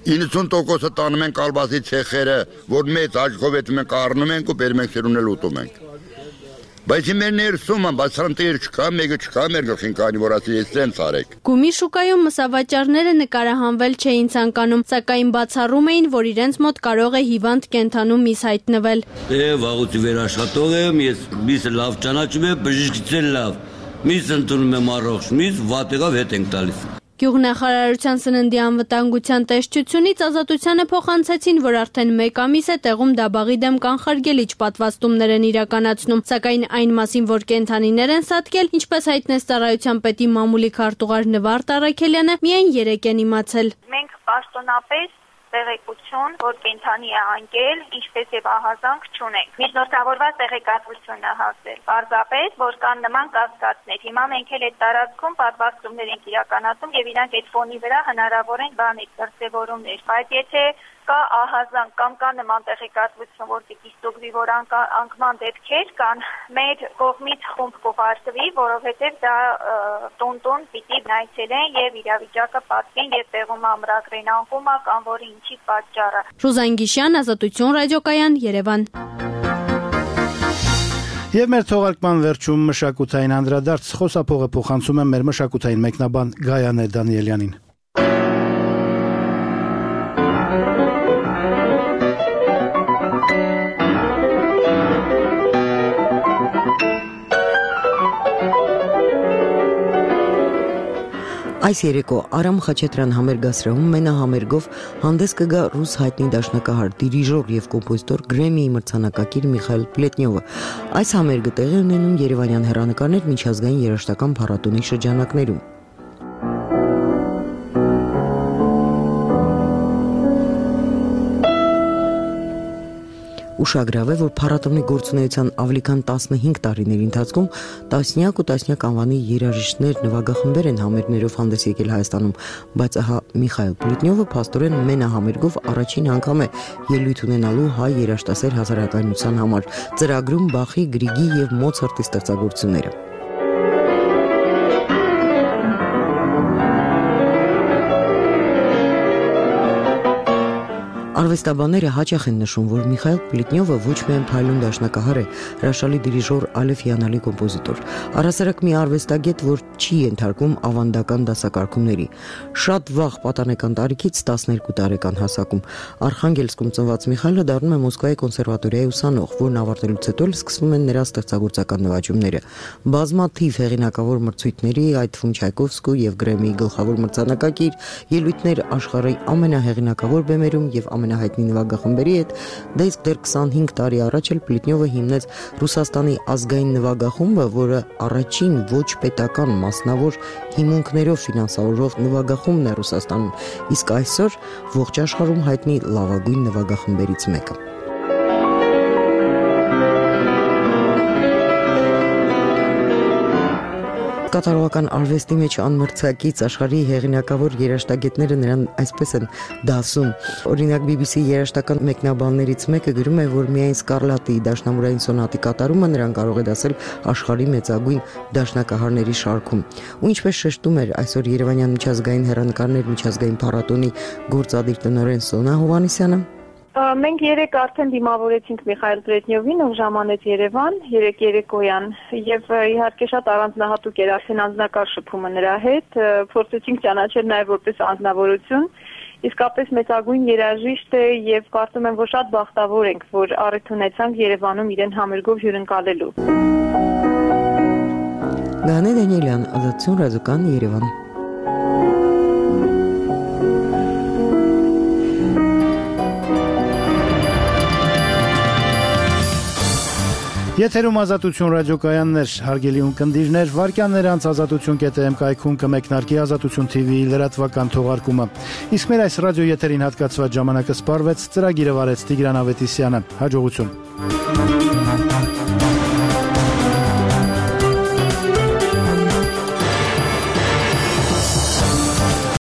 90%-ը տանում են կալբասի ցեխերը, որ մեծ աչքով էդ մենք առնում ենք ու բերում ենք սերուն էլ ուտում ենք։ Բայց մեր ներսում է, բայց սրանտեր չկա, մեկը չկա, մեր գլխին կանի, որ ասի ես տենց արեք։ Գումի շուկայում մսավաճառները նկարահանվել չէին ցանկանում, սակայն բացառում էին, որ իրենց մոտ կարող է հիվանդ կենթանու միս հայտնվել։ Վաղուց վերաշխատող եմ, ես միսը լավ ճանաչում եմ, բժիշկից էլ լավ։ Միս ընդունում եմ առողջ, միս վատեղով հետ ենք տալիս։ Գյուղնախարարության սննդի անվտանգության տեսչությունից ազատությանը փոխանցեցին, որ արդեն 1 ամիս է տեղում դաբաղի դեմ կանխարգելիչ պատվաստումներ են իրականացնում, սակայն այն մասին, որ կենթանիներ են սատկել, ինչպես հայտնեց ծառայության պետի մամուլի քարտուղար Նվարդ Առաքելյանը, միայն 3 են իմացել։ Մենք պաշտոնապես տեղեկություն, որ կենթանի է անկել, ինչպես եւ ահազանգ չունենք։ Միջնորդավորված տեղեկատվություն է հասել։ Պարզապես, որ կան նման կասկածներ։ Հիմա մենք էլ այդ տարածքում պատվաստումներ ենք իրականացում եւ իրանք այդ ֆոնի վրա հնարավոր են բաներ դրսեւորումներ։ Բայց եթե կա ահազանգ կամ կա նման տեղեկատվություն, որ պիտի ստուգվի, որ անկման դեպքեր կան, մեր կողմից խումբ կուղարկվի, որովհետեւ դա տուն պիտի նայեցնեն եւ իրավիճակը պատկեն եւ տեղում ամրագրեն անկումը կամ որի ինչի պատճառը։ Ռուզան Գիշյան, Ազատություն ռադիոկայան, Երևան։ Եվ մեր թողարկման վերջում մշակութային անդրադարձ խոսափողը փոխանցում եմ մեր մշակութային մեկնաբան Գայանե Դանիելյանին։ Այս երեկո Արամ Խաչատրյան համերգասրահում մենահամերգով հանդես կգա ռուս հայտնի դաշնակահար, դիրիժոր եւ կոմպոզիտոր Գրեմիի մրցանակակիր Միխայել Պլետնյովը։ Այս համերգը տեղի ունենում Երևանյան հեռանկարներ միջազգային երաժշտական փառատոնի շրջանակներում։ Ուշագրավ է, որ փառատոնի գործունեության ավելի քան 15 տարիների ընթացքում տասնյակ ու տասնյակ անվանի երաժիշտներ, նվագախմբեր են համերգներով հանդես եկել Հայաստանում, բայց ահա Միխայել Պլետնյովը փաստորեն մենահամերգով առաջին անգամ է ելույթ ունենալու հայ երաժշտասեր հասարակայնության համար, ծրագրում Բախի, Գրիգի եւ Մոցարտի ստեղծագործությունները։ Արվեստաբանները հաճախ են նշում, որ Միխայել Պլետնյովը ոչ միայն փայլուն դաշնակահար է, հրաշալի դիրիժոր, այլև հիանալի կոմպոզիտոր։ Առհասարակ մի արվեստագետ, որ չի ենթարկվում ավանդական դասակարգումների։ Շատ վաղ պատանեկան տարիքից 12 տարեկան հասակում Արխանգելսկում ծնված Միխայելը դառնում է Մոսկվայի կոնսերվատորիայի ուսանող, որն ավարտելուց հետո սկսվում են նրա ստեղծագործական նվաճումները։ Բազմաթիվ հեղինակավոր մրցույթների, այդ թվում Չայկովսկու եւ Գրեմիի գլխավոր մրցանակակիր, ելույթներ աշխարհի ամենահեղինակավոր բեմերում եւ ամենահայտնի նվագախմբերի հետ, դա իսկ դեռ 25 տարի առաջ էլ Պլետնյովը հիմնեց Ռուսաստանի ազգային նվագախումբը, որը առաջին ոչ պետական մասնավոր հիմունքներով ֆինանսավորող նվագախումբն է Ռուսաստանում, իսկ այսօր ողջ աշխարհում հայտնի լավագույն նվագախմբերից մեկը։ Կատարողական արվեստի մեջ անմրցակից աշխարհի հեղինակավոր երաժշտագետները նրան այսպես են դասում։ Օրինակ BBC երաժշտական մեկնաբաններից մեկը գրում է, որ միայն Սկարլատի դաշնամուրային սոնատի կատարումը նրան կարող է դասել աշխարհի մեծագույն դաշնակահարների շարքում։ Ու ինչպես շեշտում էր այսօր Երևանյան միջազգային հեռանկարներ միջազգային փառատոնի գործադիր տնօրեն Սոնա Հովհաննիսյանը, մենք երեք արդեն դիմավորեցինք Միխայել Պլետնյովին, ով ժամանեց Երևան, երեկոյան, եւ իհարկե շատ առանձնահատուկ էր արդեն անձնակարգ շփումը նրա հետ, փորձեցինք ճանաչել նաեւ որպես անձնավորություն, իսկապես մեծագույն երաժիշտ է եւ կարծում եմ, որ շատ բախտավոր ենք, որ առիթ ունեցանք Երևանում իրեն համերգով հյուրընկալելու։ Գանե Դանիելյան, Ազատություն ռադիոկան, Երևան։ Եթերում Ազատություն ռադիոկայաններ, հարգելի ունկնդիրներ, վարքյաններ անց ազատություն.am կայքում կմեկնարկի Ազատություն TV-ի լրատվական թողարկումը։ Իսկ մեր այս ռադիո եթերին հատկացված ժամանակը սպառվեց, ծրագիրը վարեց Տիգրան Ավետիսյանը։ Հաջողություն։